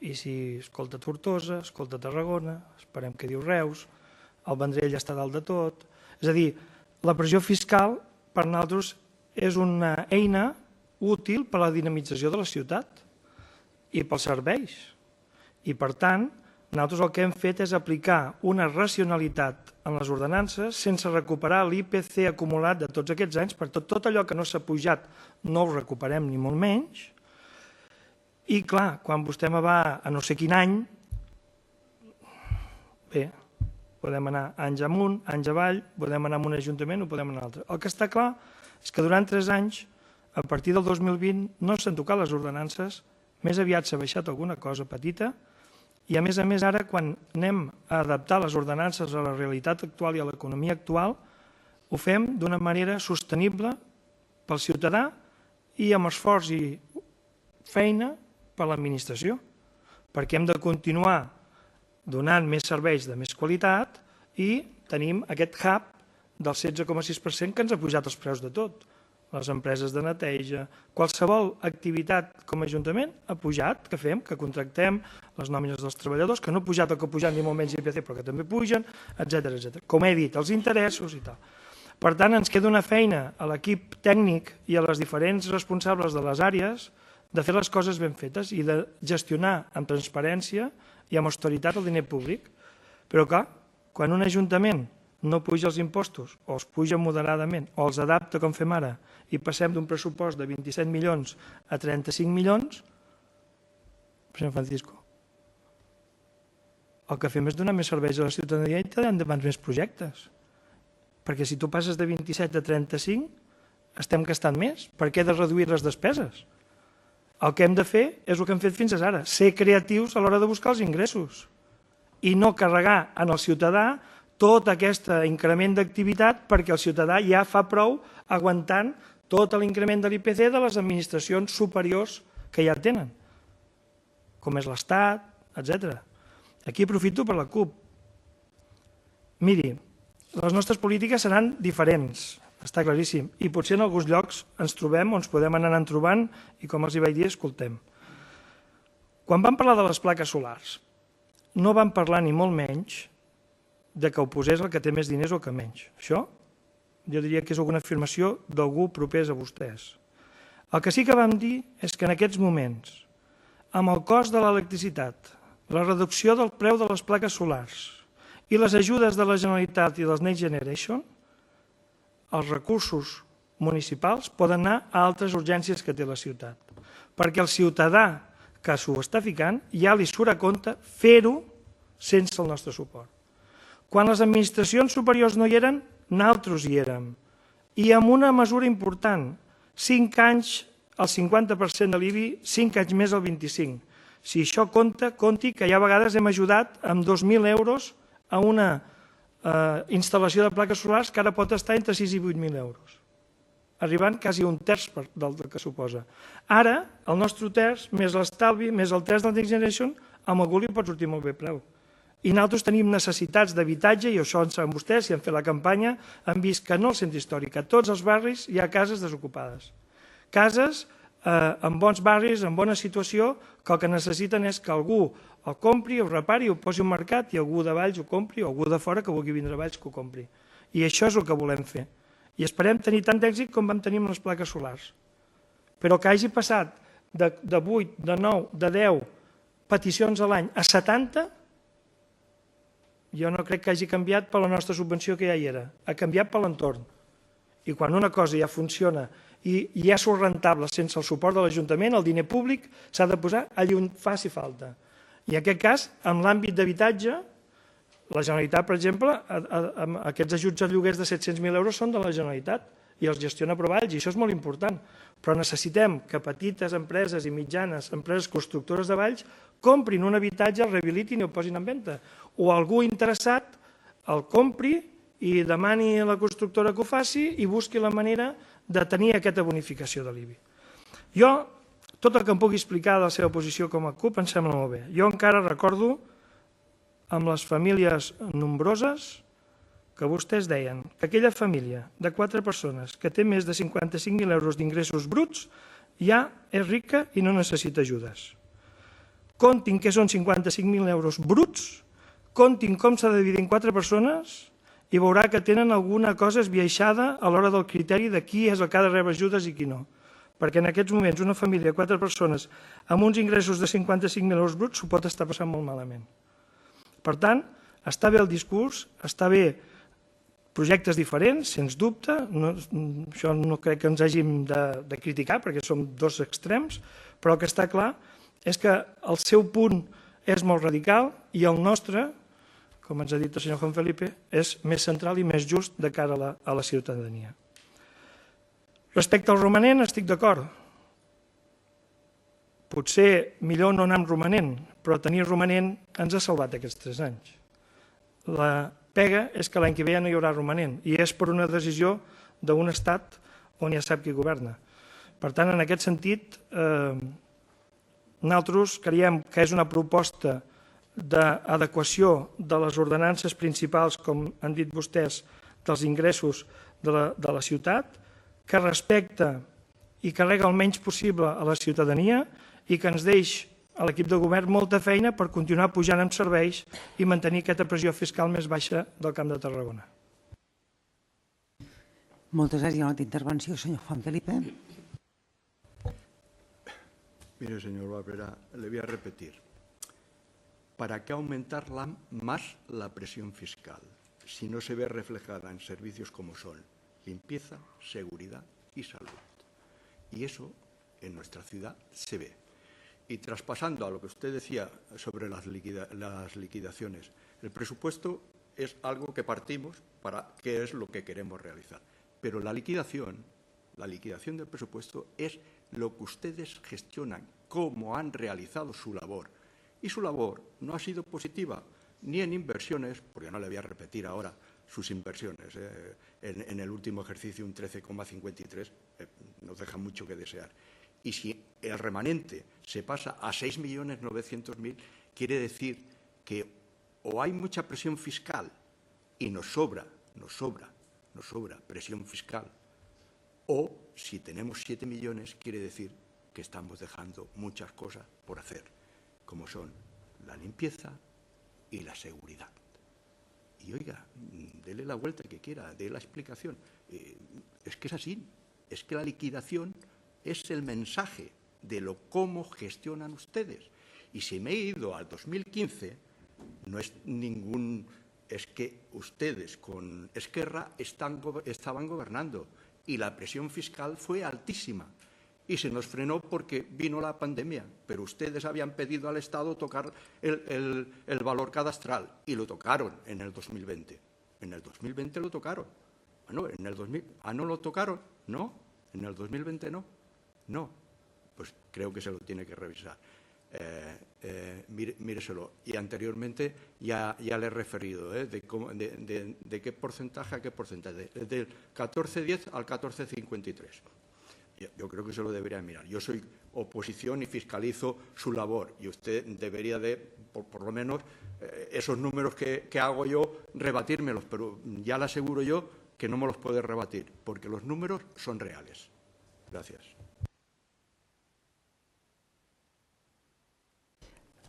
I si escolta Tortosa, escolta Tarragona, esperem que diu Reus, el Vendrell està dalt de tot. És a dir, la pressió fiscal per nosaltres és una eina útil per a la dinamització de la ciutat i pels serveis. I per tant, nosaltres el que hem fet és aplicar una racionalitat en les ordenances sense recuperar l'IPC acumulat de tots aquests anys, per tot allò que no s'ha pujat no ho recuperem ni molt menys. I clar, quan vostè me va a no sé quin any, bé, podem anar anys amunt, anys avall, podem anar a un ajuntament o podem anar a un altre. El que està clar és que durant 3 anys, a partir del 2020, no s'han tocat les ordenances, més aviat s'ha baixat alguna cosa petita, i a més ara, quan anem a adaptar les ordenances a la realitat actual i a l'economia actual, ho fem d'una manera sostenible pel ciutadà i amb esforç i feina per l'administració, perquè hem de continuar donant més serveis de més qualitat i tenim aquest hub del 16,6% que ens ha pujat els preus de tot. les empreses de neteja, qualsevol activitat com a Ajuntament ha pujat, que fem, que contractem, les nòmines dels treballadors, que no ha pujat o que ha pujat ni molt menys IPC, però que també pugen, etc. Com he dit, els interessos i tal. Per tant, ens queda una feina a l'equip tècnic i a les diferents responsables de les àrees de fer les coses ben fetes i de gestionar amb transparència i amb austeritat el diner públic. Però clar, quan un ajuntament no puja els impostos o els puja moderadament o els adapta com fem ara i passem d'un pressupost de 27 milions a 35 milions, president Francisco, el que fem és donar més serveis a la ciutadania i tirar endavant més projectes. Perquè si tu passes de 27 a 35, estem gastant més. Per què he de reduir les despeses? El que hem de fer és el que hem fet fins ara, ser creatius a l'hora de buscar els ingressos i no carregar en el ciutadà tot aquest increment d'activitat perquè el ciutadà ja fa prou aguantant tot l'increment de l'IPC de les administracions superiors que ja tenen, com és l'Estat, etc. Aquí aprofito per la CUP. Miri, les nostres polítiques seran diferents, està claríssim, i potser en alguns llocs ens trobem o ens podem anar trobant i com els hi vaig dir, escoltem. Quan vam parlar de les plaques solars, no vam parlar ni molt menys de que ho posés el que té més diners o que menys. Això jo diria que és alguna afirmació d'algú propers a vostès. El que sí que vam dir és que en aquests moments, amb el cost de l'electricitat, la reducció del preu de les plaques solars i les ajudes de la Generalitat i dels Next Generation, els recursos municipals poden anar a altres urgències que té la ciutat. Perquè el ciutadà que s'ho està ficant ja li surt a compte fer-ho sense el nostre suport. Quan les administracions superiors no hi eren, nosaltres hi érem. I amb una mesura important, 5 anys el 50% de l'IBI, 5 anys més el 25%. Si això compta, compti que ja a vegades hem ajudat amb 2.000 euros a una instal·lació de plaques solars que ara pot estar entre 6 i 8.000 euros, arribant quasi un terç del que suposa. Ara, el nostre terç, més l'estalvi, més el terç del Next Generation, amb algú li pot sortir molt bé preu. I nosaltres tenim necessitats d'habitatge, i això en saben vostès, si han fet la campanya, han vist que no al centre històric, a tots els barris hi ha cases desocupades. Cases en bons barris, en bona situació, que el que necessiten és que algú el compri, ho repari, ho posi al mercat i algú de Valls ho compri o algú de fora que vulgui vindre a Valls que ho compri. I això és el que volem fer. I esperem tenir tant d'èxit com vam tenir amb les plaques solars. Però que hagi passat de 8, de 9, de 10 peticions a l'any a 70, jo no crec que hagi canviat per la nostra subvenció que ja hi era. Ha canviat per l'entorn. I quan una cosa ja funciona i ja surt rentable sense el suport de l'Ajuntament, el diner públic s'ha de posar allà on faci falta. I en aquest cas, en l'àmbit d'habitatge, la Generalitat, per exemple, aquests ajuts a lloguers de 700.000 euros són de la Generalitat i els gestiona Provalls, i això és molt important. Però necessitem que petites empreses i mitjanes, empreses constructores de Valls, comprin un habitatge, el rehabilitin i el posin en venda. O algú interessat el compri i demani a la constructora que ho faci i busqui la manera de tenir aquesta bonificació de l'IBI. Jo, tot el que em pugui explicar de la seva posició com a CUP em sembla molt bé. Jo encara recordo amb les famílies nombroses que vostès deien que aquella família de 4 persones que té més de 55.000 euros d'ingressos bruts ja és rica i no necessita ajudes. Comptin que són 55.000 euros bruts, comptin com s'ha de dividir en 4 persones i veurà que tenen alguna cosa esbiaixada a l'hora del criteri de qui és el que ha de rebre ajudes i qui no. Perquè en aquests moments una família de 4 persones amb uns ingressos de 55.000 euros bruts s'ho pot estar passant molt malament. Per tant, està bé el discurs, està bé projectes diferents, sens dubte, això no crec que ens hàgim de criticar perquè som dos extrems, però el que està clar és que el seu punt és molt radical i el nostre, com ens ha dit el senyor Juan Felipe, és més central i més just de cara a la ciutadania. Respecte al romanent, estic d'acord. Potser millor no anar amb romanent, però tenir romanent ens ha salvat aquests 3 anys. La pega és que l'any que ve ja no hi haurà romanent i és per una decisió d'un estat on ja sap qui governa. Per tant, en aquest sentit, nosaltres creiem que és una proposta d'adequació de les ordenances principals, com han dit vostès, dels ingressos de la ciutat, que respecta i carrega el menys possible a la ciutadania i que ens deix a l'equip de govern molta feina per continuar pujant en serveis i mantenir aquesta pressió fiscal més baixa del Camp de Tarragona. Moltes gràcies. Hi ha una altra intervenció, senyor Juan Felipe. Mire, señor Barberá, le voy a repetir. ¿Para qué aumentar más la presión fiscal si no se ve reflejada en servicios como son limpieza, seguridad y salud? Y eso en nuestra ciudad se ve. Y traspasando a lo que usted decía sobre las liquidaciones, el presupuesto es algo que partimos para qué es lo que queremos realizar. Pero la liquidación del presupuesto es lo que ustedes gestionan, cómo han realizado su labor. Y su labor no ha sido positiva ni en inversiones, porque no le voy a repetir ahora sus inversiones. En el último ejercicio un 13,53 nos deja mucho que desear. Y si el remanente se pasa a 6.900.000, quiere decir que o hay mucha presión fiscal y nos sobra presión fiscal, o si tenemos 7 millones, quiere decir que estamos dejando muchas cosas por hacer, como son la limpieza y la seguridad. Y oiga, dele la vuelta que quiera, dé la explicación. Es que es así, es que la liquidación es el mensaje de cómo gestionan ustedes. Y si me he ido al 2015, no es es que ustedes con Esquerra estaban gobernando y la presión fiscal fue altísima y se nos frenó porque vino la pandemia, pero ustedes habían pedido al Estado tocar el valor cadastral y lo tocaron en el 2020. En el 2020 lo tocaron. Bueno, en el 2000, ¿no lo tocaron? No, en el 2020 no. No, pues creo que se lo tiene que revisar. Míreselo. Y anteriormente ya le he referido de qué porcentaje a qué porcentaje, del 14,10 al 14,53. Yo creo que se lo debería mirar. Yo soy oposición y fiscalizo su labor y usted debería de, por lo menos, esos números que hago yo, rebatírmelos, pero ya le aseguro yo que no me los puede rebatir, porque los números son reales. Gracias.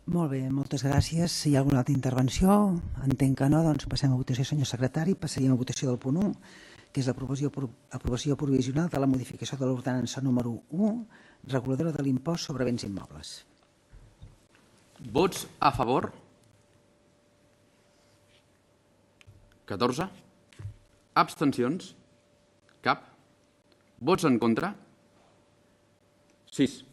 Molt bé, moltes gràcies. Si hi ha alguna altra intervenció, entenc que no, doncs passem a votació, senyor secretari. Passaríem a votació del punt 1, que és l'aprovació provisional de la modificació de l'ordenança número 1, reguladora de l'impost sobre béns immobles. Vots a favor? 14. Abstencions? Cap. Vots en contra? 6.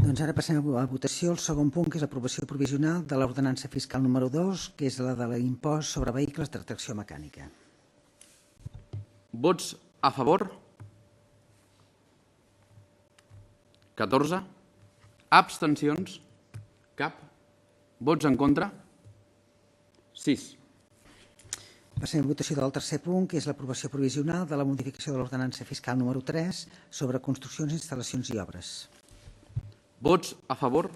Doncs ara passem a votació el segon punt, que és l'aprovació provisional de l'ordenança fiscal número 2, que és la de l'impost sobre vehicles de tracció mecànica. Vots a favor? 14. Abstencions? Cap. Vots en contra? 6. Passem a votació del tercer punt, que és l'aprovació provisional de la modificació de l'ordenança fiscal número 3 sobre construccions, instal·lacions i obres. Vots a favor?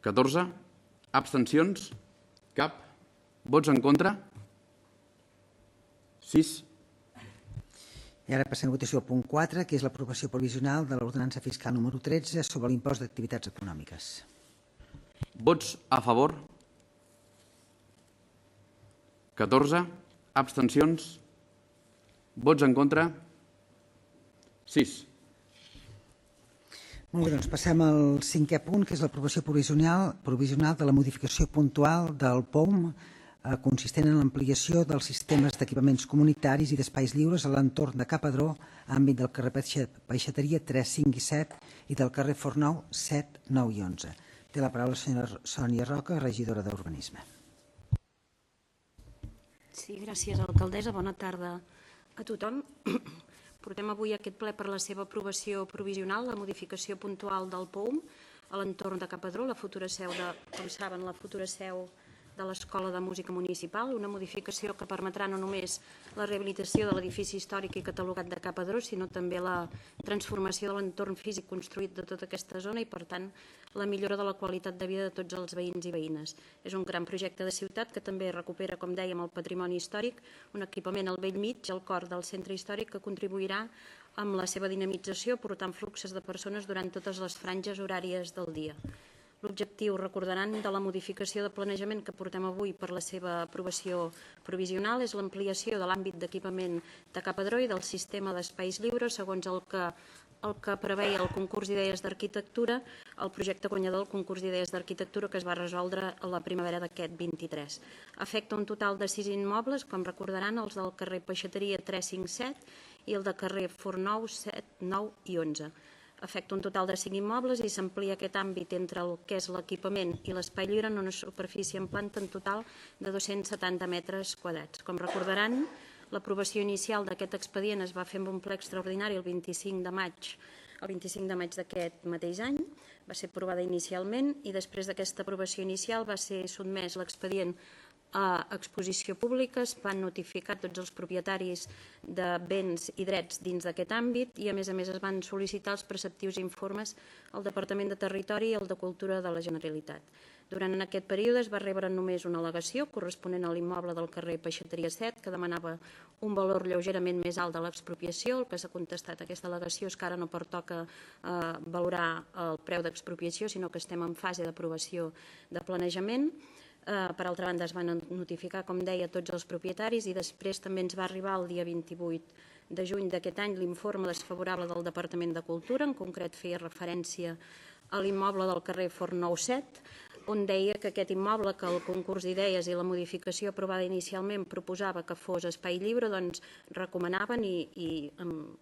14. Abstencions? Cap. Vots en contra? 6. I ara passem a votació al punt 4, que és l'aprovació provisional de l'ordenança fiscal número 13 sobre l'impost d'activitats econòmiques. Vots a favor? 14. Abstencions? Vots en contra? 6. Molt bé, doncs passem al cinquè punt, que és l'aprovació provisional de la modificació puntual del POUM consistent en l'ampliació dels sistemes d'equipaments comunitaris i d'espais lliures a l'entorn de Capadró, àmbit del carrer Peixateria 3, 5 i 7 i del carrer Fornou 7, 9 i 11. Té la paraula la senyora Sònia Roca, regidora d'Urbanisme. Sí, gràcies, alcaldessa. Bona tarda a tothom. Portem avui aquest ple per la seva aprovació provisional, la modificació puntual del POUM a l'entorn de Capadró, la futura seu com saben, la futura seu de l'Escola de Música Municipal, una modificació que permetrà no només la rehabilitació de l'edifici històric i catalogat de Ca Padró, sinó també la transformació de l'entorn físic construït de tota aquesta zona i, per tant, la millora de la qualitat de vida de tots els veïns i veïnes. És un gran projecte de ciutat que també recupera, com dèiem, el patrimoni històric, un equipament al bell mig, al cor del centre històric, que contribuirà amb la seva dinamització, portant fluxes de persones durant totes les franges horàries del dia. L'objectiu, recordaran, de la modificació de planejament que portem avui per la seva aprovació provisional és l'ampliació de l'àmbit d'equipament de Ca Padró i del sistema d'espais lliures segons el que preveia el concurs d'idees d'arquitectura, el projecte guanyador del concurs d'idees d'arquitectura que es va resoldre a la primavera d'aquest 23. Afecta un total de 6 immobles, com recordaran, els del carrer Peixateria 357 i el de carrer Fornou 7, 9 i 11. Afecta un total de 5 immobles i s'amplia aquest àmbit entre el que és l'equipament i l'espai lliure en una superfície en planta en total de 270 metres quadrats. Com recordaran, l'aprovació inicial d'aquest expedient es va fer amb un ple extraordinari el 25 de maig d'aquest mateix any, va ser aprovada inicialment i després d'aquesta aprovació inicial va ser sotmès l'expedient a exposició pública, es van notificar tots els propietaris de béns i drets dins d'aquest àmbit i a més es van sol·licitar els preceptius informes al Departament de Territori i al de Cultura de la Generalitat. Durant aquest període es va rebre només una al·legació corresponent a l'immoble del carrer Peixateria 7 que demanava un valor lleugerament més alt de l'expropiació. El que s'ha contestat a aquesta al·legació és que ara no pertoca valorar el preu d'expropiació, sinó que estem en fase d'aprovació de planejament. Per altra banda, es van notificar, com deia, tots els propietaris i després també ens va arribar el dia 28 de juny d'aquest any l'informe desfavorable del Departament de Cultura, en concret feia referència a l'immoble del carrer Fornou 7, on deia que aquest immoble, que el concurs d'idees i la modificació aprovada inicialment proposava que fos espai lliure, doncs recomanaven, i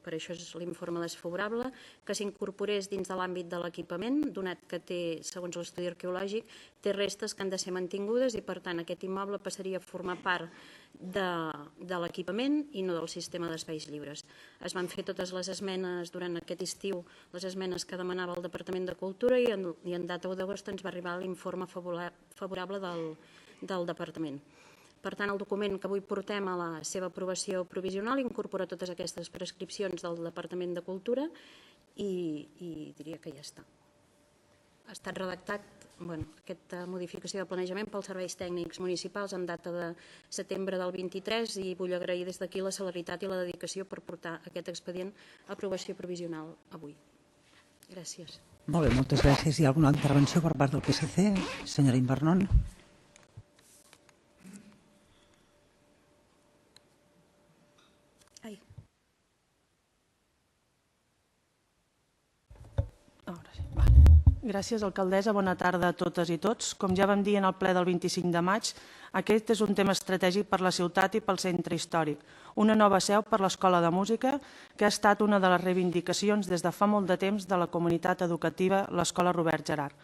per això és l'informe desfavorable, que s'incorporés dins de l'àmbit de l'equipament, donat que té, segons l'estudi arqueològic, té restes que han de ser mantingudes i, per tant, aquest immoble passaria a formar part de l'equipament i no del sistema d'espais lliures. Es van fer totes les esmenes durant aquest estiu, les esmenes que demanava el Departament de Cultura i en data 1 d'agost ens va arribar l'informe favorable del Departament. Per tant, el document que avui portem a la seva aprovació provisional incorpora totes aquestes prescripcions del Departament de Cultura i diria que ja està. Ha estat redactat aquesta modificació de planejament pels serveis tècnics municipals en data de setembre del 23 i vull agrair des d'aquí la celeritat i la dedicació per portar aquest expedient a aprovació provisional avui. Gràcies. Molt bé, moltes gràcies. Hi ha alguna intervenció per part del PSC? Senyora Invernon. Gràcies, alcaldessa. Bona tarda a totes i tots. Com ja vam dir en el ple del 25 de maig, aquest és un tema estratègic per la ciutat i pel centre històric. Una nova seu per l'Escola de Música, que ha estat una de les reivindicacions des de fa molt de temps de la comunitat educativa, l'Escola Robert Gerhard.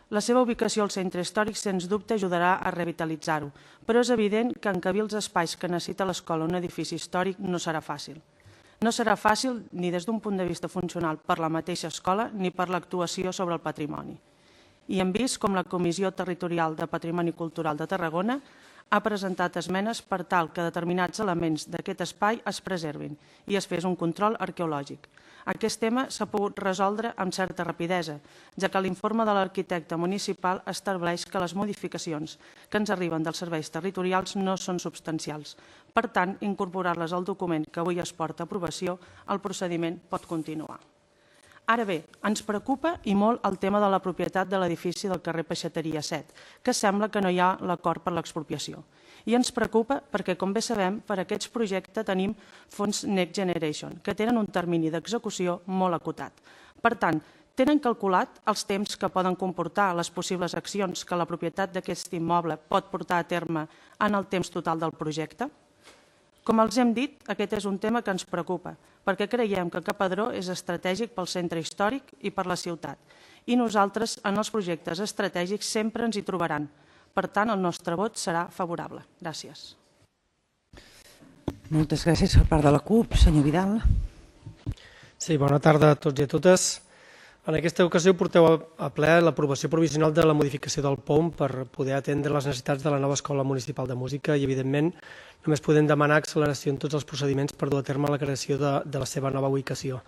La seva ubicació al centre històric, sens dubte, ajudarà a revitalitzar-ho, però és evident que encabir els espais que necessita l'escola un edifici històric no serà fàcil. No serà fàcil ni des d'un punt de vista funcional per la mateixa escola ni per l'actuació sobre el patrimoni. I hem vist com la Comissió Territorial de Patrimoni Cultural de Tarragona ha presentat esmenes per tal que determinats elements d'aquest espai es preservin i es fes un control arqueològic. Aquest tema s'ha pogut resoldre amb certa rapidesa, ja que l'informe de l'arquitecte municipal estableix que les modificacions que ens arriben dels serveis territorials no són substancials. Per tant, incorporar-les al document que avui es porta a aprovació, el procediment pot continuar. Ara bé, ens preocupa i molt el tema de la propietat de l'edifici del carrer Peixateria 7, que sembla que no hi ha l'acord per l'expropiació. I ens preocupa perquè, com bé sabem, per aquests projectes tenim fons Next Generation, que tenen un termini d'execució molt acotat. Per tant, tenen calculat els temps que poden comportar les possibles accions que la propietat d'aquest immoble pot portar a terme en el temps total del projecte? Com els hem dit, aquest és un tema que ens preocupa, perquè creiem que Ca Padró és estratègic pel centre històric i per la ciutat. I nosaltres, en els projectes estratègics, sempre ens hi trobaran. Per tant, el nostre vot serà favorable. Gràcies. Moltes gràcies per part de la CUP. Senyor Vidal. Sí, bona tarda a tots i a totes. En aquesta ocasió porteu a ple l'aprovació provisional de la modificació del POM per poder atendre les necessitats de la nova Escola Municipal de Música i, evidentment, només podem demanar acceleració en tots els procediments per dur a terme la creació de la seva nova ubicació.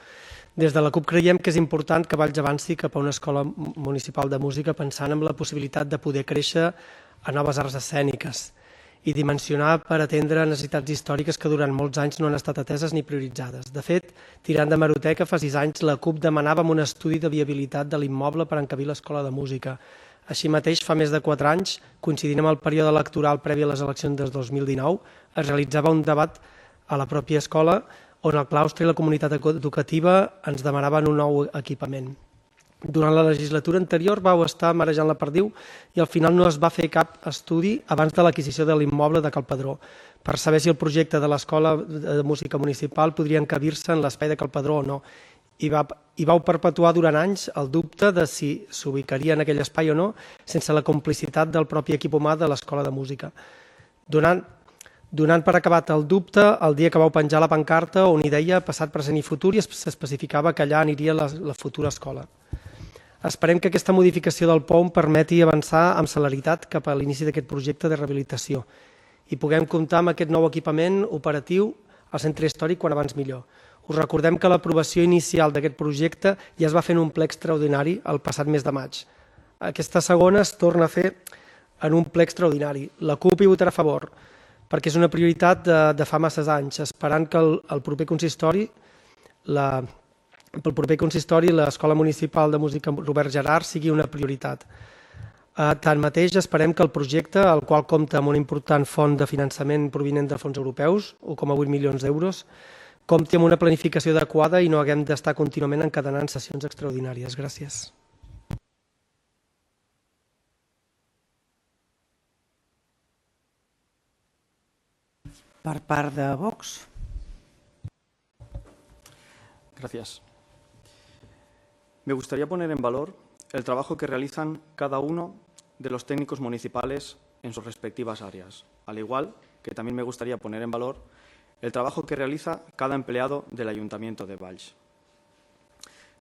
Des de la CUP creiem que és important que Valls avanci cap a una escola municipal de música pensant en la possibilitat de poder créixer a noves arts escèniques i dimensionar per atendre necessitats històriques que durant molts anys no han estat ateses ni prioritzades. De fet, tirant d'hemeroteca, fa 6 anys la CUP demanàvem un estudi de viabilitat de l'immoble per encabir l'escola de música. Així mateix, fa més de 4 anys, coincidint amb el període electoral previ a les eleccions del 2019, es realitzava un debat a la pròpia escola on el claustre i la comunitat educativa ens demanaven un nou equipament. Durant la legislatura anterior vau estar marejant la perdiu i al final no es va fer cap estudi abans de l'adquisició de l'immoble de Cal Padró per saber si el projecte de l'Escola de Música Municipal podria encabir-se en l'espai de Cal Padró o no. I vau perpetuar durant anys el dubte de si s'ubicaria en aquell espai o no sense la complicitat del propi equip humà de l'Escola de Música. Donant per acabat el dubte el dia que vau penjar la pancarta on hi deia passat, present i futur i s'especificava que allà aniria la futura escola. Esperem que aquesta modificació del POM permeti avançar amb celeritat cap a l'inici d'aquest projecte de rehabilitació i puguem comptar amb aquest nou equipament operatiu al centre històric quan abans millor. Us recordem que l'aprovació inicial d'aquest projecte ja es va fer en un ple extraordinari el passat mes de maig. Aquesta segona es torna a fer en un ple extraordinari. La CUP hi votarà a favor perquè és una prioritat de fa masses anys, esperant que el proper consistori l'Escola Municipal de Música Robert Gerard sigui una prioritat. Tanmateix, esperem que el projecte, el qual compta amb una important font de finançament provinent de fons europeus, 1,8 milions d'euros, compti amb una planificació adequada i no haguem d'estar contínuament encadenant sessions extraordinàries. Gràcies. Per part de Vox. Gracias. Me gustaría poner en valor el trabajo que realizan cada uno de los técnicos municipales en sus respectivas áreas, al igual que también me gustaría poner en valor el trabajo que realiza cada empleado del Ayuntamiento de Valls.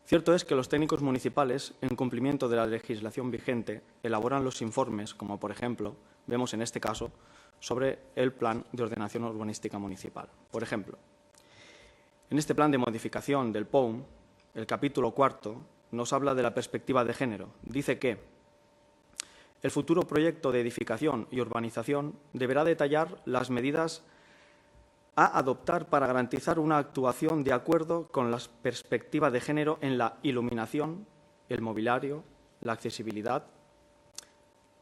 Cierto es que los técnicos municipales, en cumplimiento de la legislación vigente, elaboran los informes, como por ejemplo, vemos en este caso, sobre el Plan de Ordenación Urbanística Municipal. Por ejemplo, en este plan de modificación del POUM, el capítulo 4 nos habla de la perspectiva de género. Dice que el futuro proyecto de edificación y urbanización deberá detallar las medidas a adoptar para garantizar una actuación de acuerdo con la perspectiva de género en la iluminación, el mobiliario, la accesibilidad,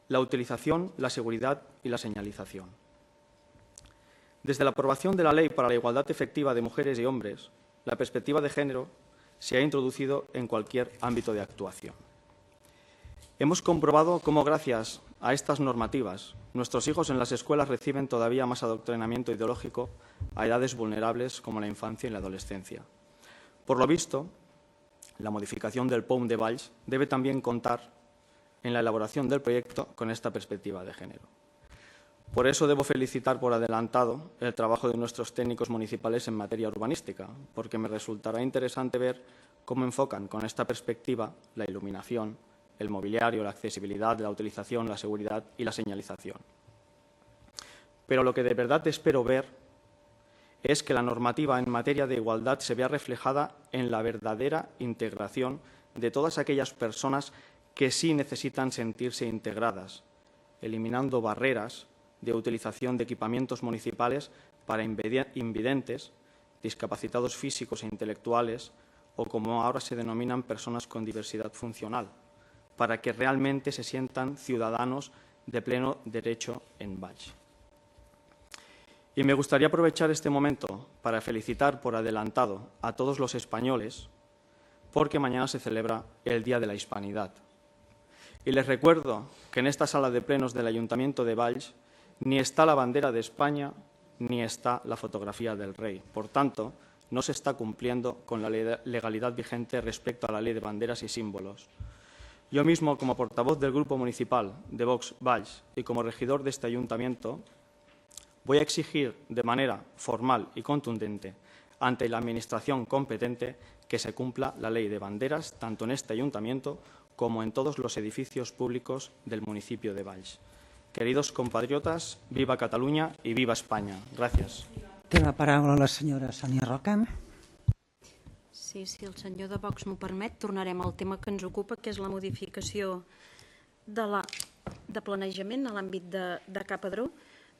la utilización, la seguridad y la señalización. Desde la aprobación de la Ley para la Igualdad Efectiva de Mujeres y Hombres, la perspectiva de género se ha introducido en cualquier ámbito de actuación. Hemos comprobado cómo, gracias a estas normativas, nuestros hijos en las escuelas reciben todavía más adoctrinamiento ideológico a edades vulnerables como la infancia y la adolescencia. Por lo visto, la modificación del POUM de Valls debe también contar en la elaboración del proyecto con esta perspectiva de género. Por eso debo felicitar por adelantado el trabajo de nuestros técnicos municipales en materia urbanística, porque me resultará interesante ver cómo enfocan con esta perspectiva la iluminación, el mobiliario, la accesibilidad, la utilización, la seguridad y la señalización. Pero lo que de verdad espero ver es que la normativa en materia de igualdad se vea reflejada en la verdadera integración de todas aquellas personas que sí necesitan sentirse integradas, eliminando barreras de utilización de equipamientos municipales para invidentes, discapacitados físicos e intelectuales o, como ahora se denominan, personas con diversidad funcional, para que realmente se sientan ciudadanos de pleno derecho en Valls. Y me gustaría aprovechar este momento para felicitar por adelantado a todos los españoles, porque mañana se celebra el Día de la Hispanidad. Y les recuerdo que en esta sala de plenos del Ayuntamiento de Valls ni está la bandera de España ni está la fotografía del rey. Por tanto, no se está cumpliendo con la legalidad vigente respecto a la ley de banderas y símbolos. Yo mismo, como portavoz del Grupo Municipal de Vox Valls y como regidor de este ayuntamiento, voy a exigir de manera formal y contundente ante la Administración competente que se cumpla la ley de banderas tanto en este ayuntamiento como en todos los edificios públicos del municipio de Valls. Queridos compatriotas, viva Cataluña y viva España. Gracias. Té la paraula la senyora Sònia Roca. Sí, si el senyor de Vox m'ho permet, tornarem al tema que ens ocupa, que és la modificació de planejament a l'àmbit de Capadró.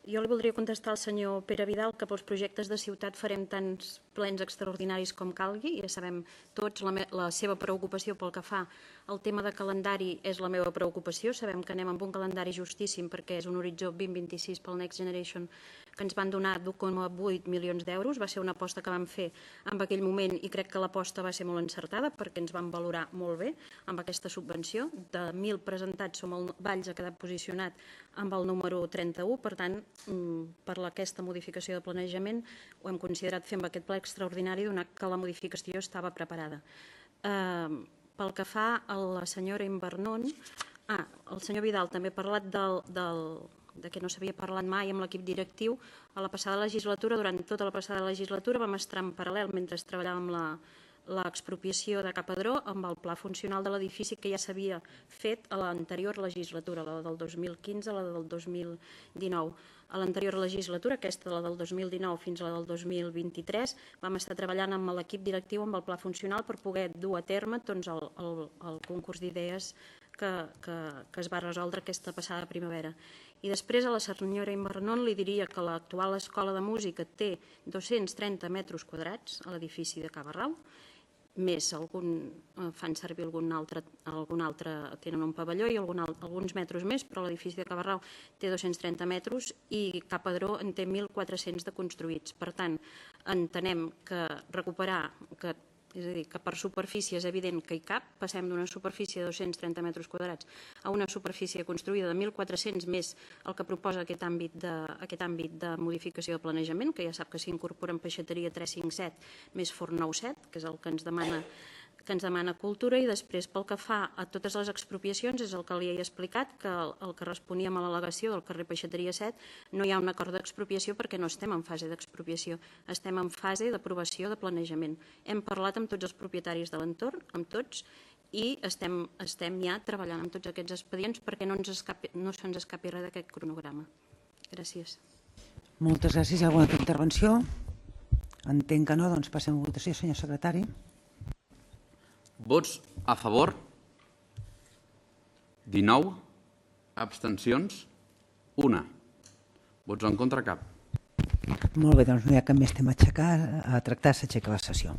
Jo li voldria contestar al senyor Pere Vidal que pels projectes de ciutat farem tants plens extraordinaris com calgui. Ja sabem tots la seva preocupació pel que fa al tema de calendari és la meva preocupació. Sabem que anem amb un calendari justíssim perquè és un horitzó 2026 pel Next Generation que ens van donar 1,8 milions d'euros. Va ser una aposta que vam fer en aquell moment i crec que l'aposta va ser molt encertada perquè ens van valorar molt bé amb aquesta subvenció. De 1.000 presentats, Valls ha quedat posicionat amb el número 31. Per tant, per aquesta modificació de planejament ho hem considerat fer amb aquest ple extraordinari donat que la modificació estava preparada. Pel que fa a la senyora Invernon, el senyor Vidal també ha parlat de que no s'havia parlat mai amb l'equip directiu. A la passada legislatura, durant tota la passada legislatura, vam estar en paral·lel mentre treballàvem l'expropiació de Capadró amb el pla funcional de l'edifici que ja s'havia fet a l'anterior legislatura, la del 2015 a la del 2019. A l'anterior legislatura, aquesta la del 2019 fins a la del 2023, vam estar treballant amb l'equip directiu amb el pla funcional per poder dur a terme el concurs d'idees que es va resoldre aquesta passada primavera. I després a la senyora Invernon li diria que l'actual escola de música té 230 metres quadrats a l'edifici de Cabarrau, més fan servir algun altre, tenen un pavelló i alguns metres més, però l'edifici de Cabarrau té 230 metres i Capadró en té 1.400 de construïts. Per tant, entenem que recuperar, és a dir, que per superfície és evident que hi cap, passem d'una superfície de 230 metres quadrats a una superfície construïda de 1.400 més el que proposa aquest àmbit de modificació de planejament, que ja sap que s'incorpora en peixateria 357 més forn 97, que és el que ens demana Cultura, i després pel que fa a totes les expropiacions és el que li he explicat, que el que responíem a l'al·legació del carrer Peixateria 7 no hi ha un acord d'expropiació perquè no estem en fase d'expropiació, estem en fase d'aprovació de planejament. Hem parlat amb tots els propietaris de l'entorn, amb tots, i estem ja treballant amb tots aquests expedients perquè no se'ns escapi res d'aquest cronograma. Gràcies. Moltes gràcies. Hi ha alguna altra intervenció? Entenc que no, doncs passem a votació, senyor secretari. Vots a favor? 19. Abstencions? 1. Vots en contra? Cap. Molt bé, doncs no hi ha cap més tema a tractar, s'aixeca la sessió.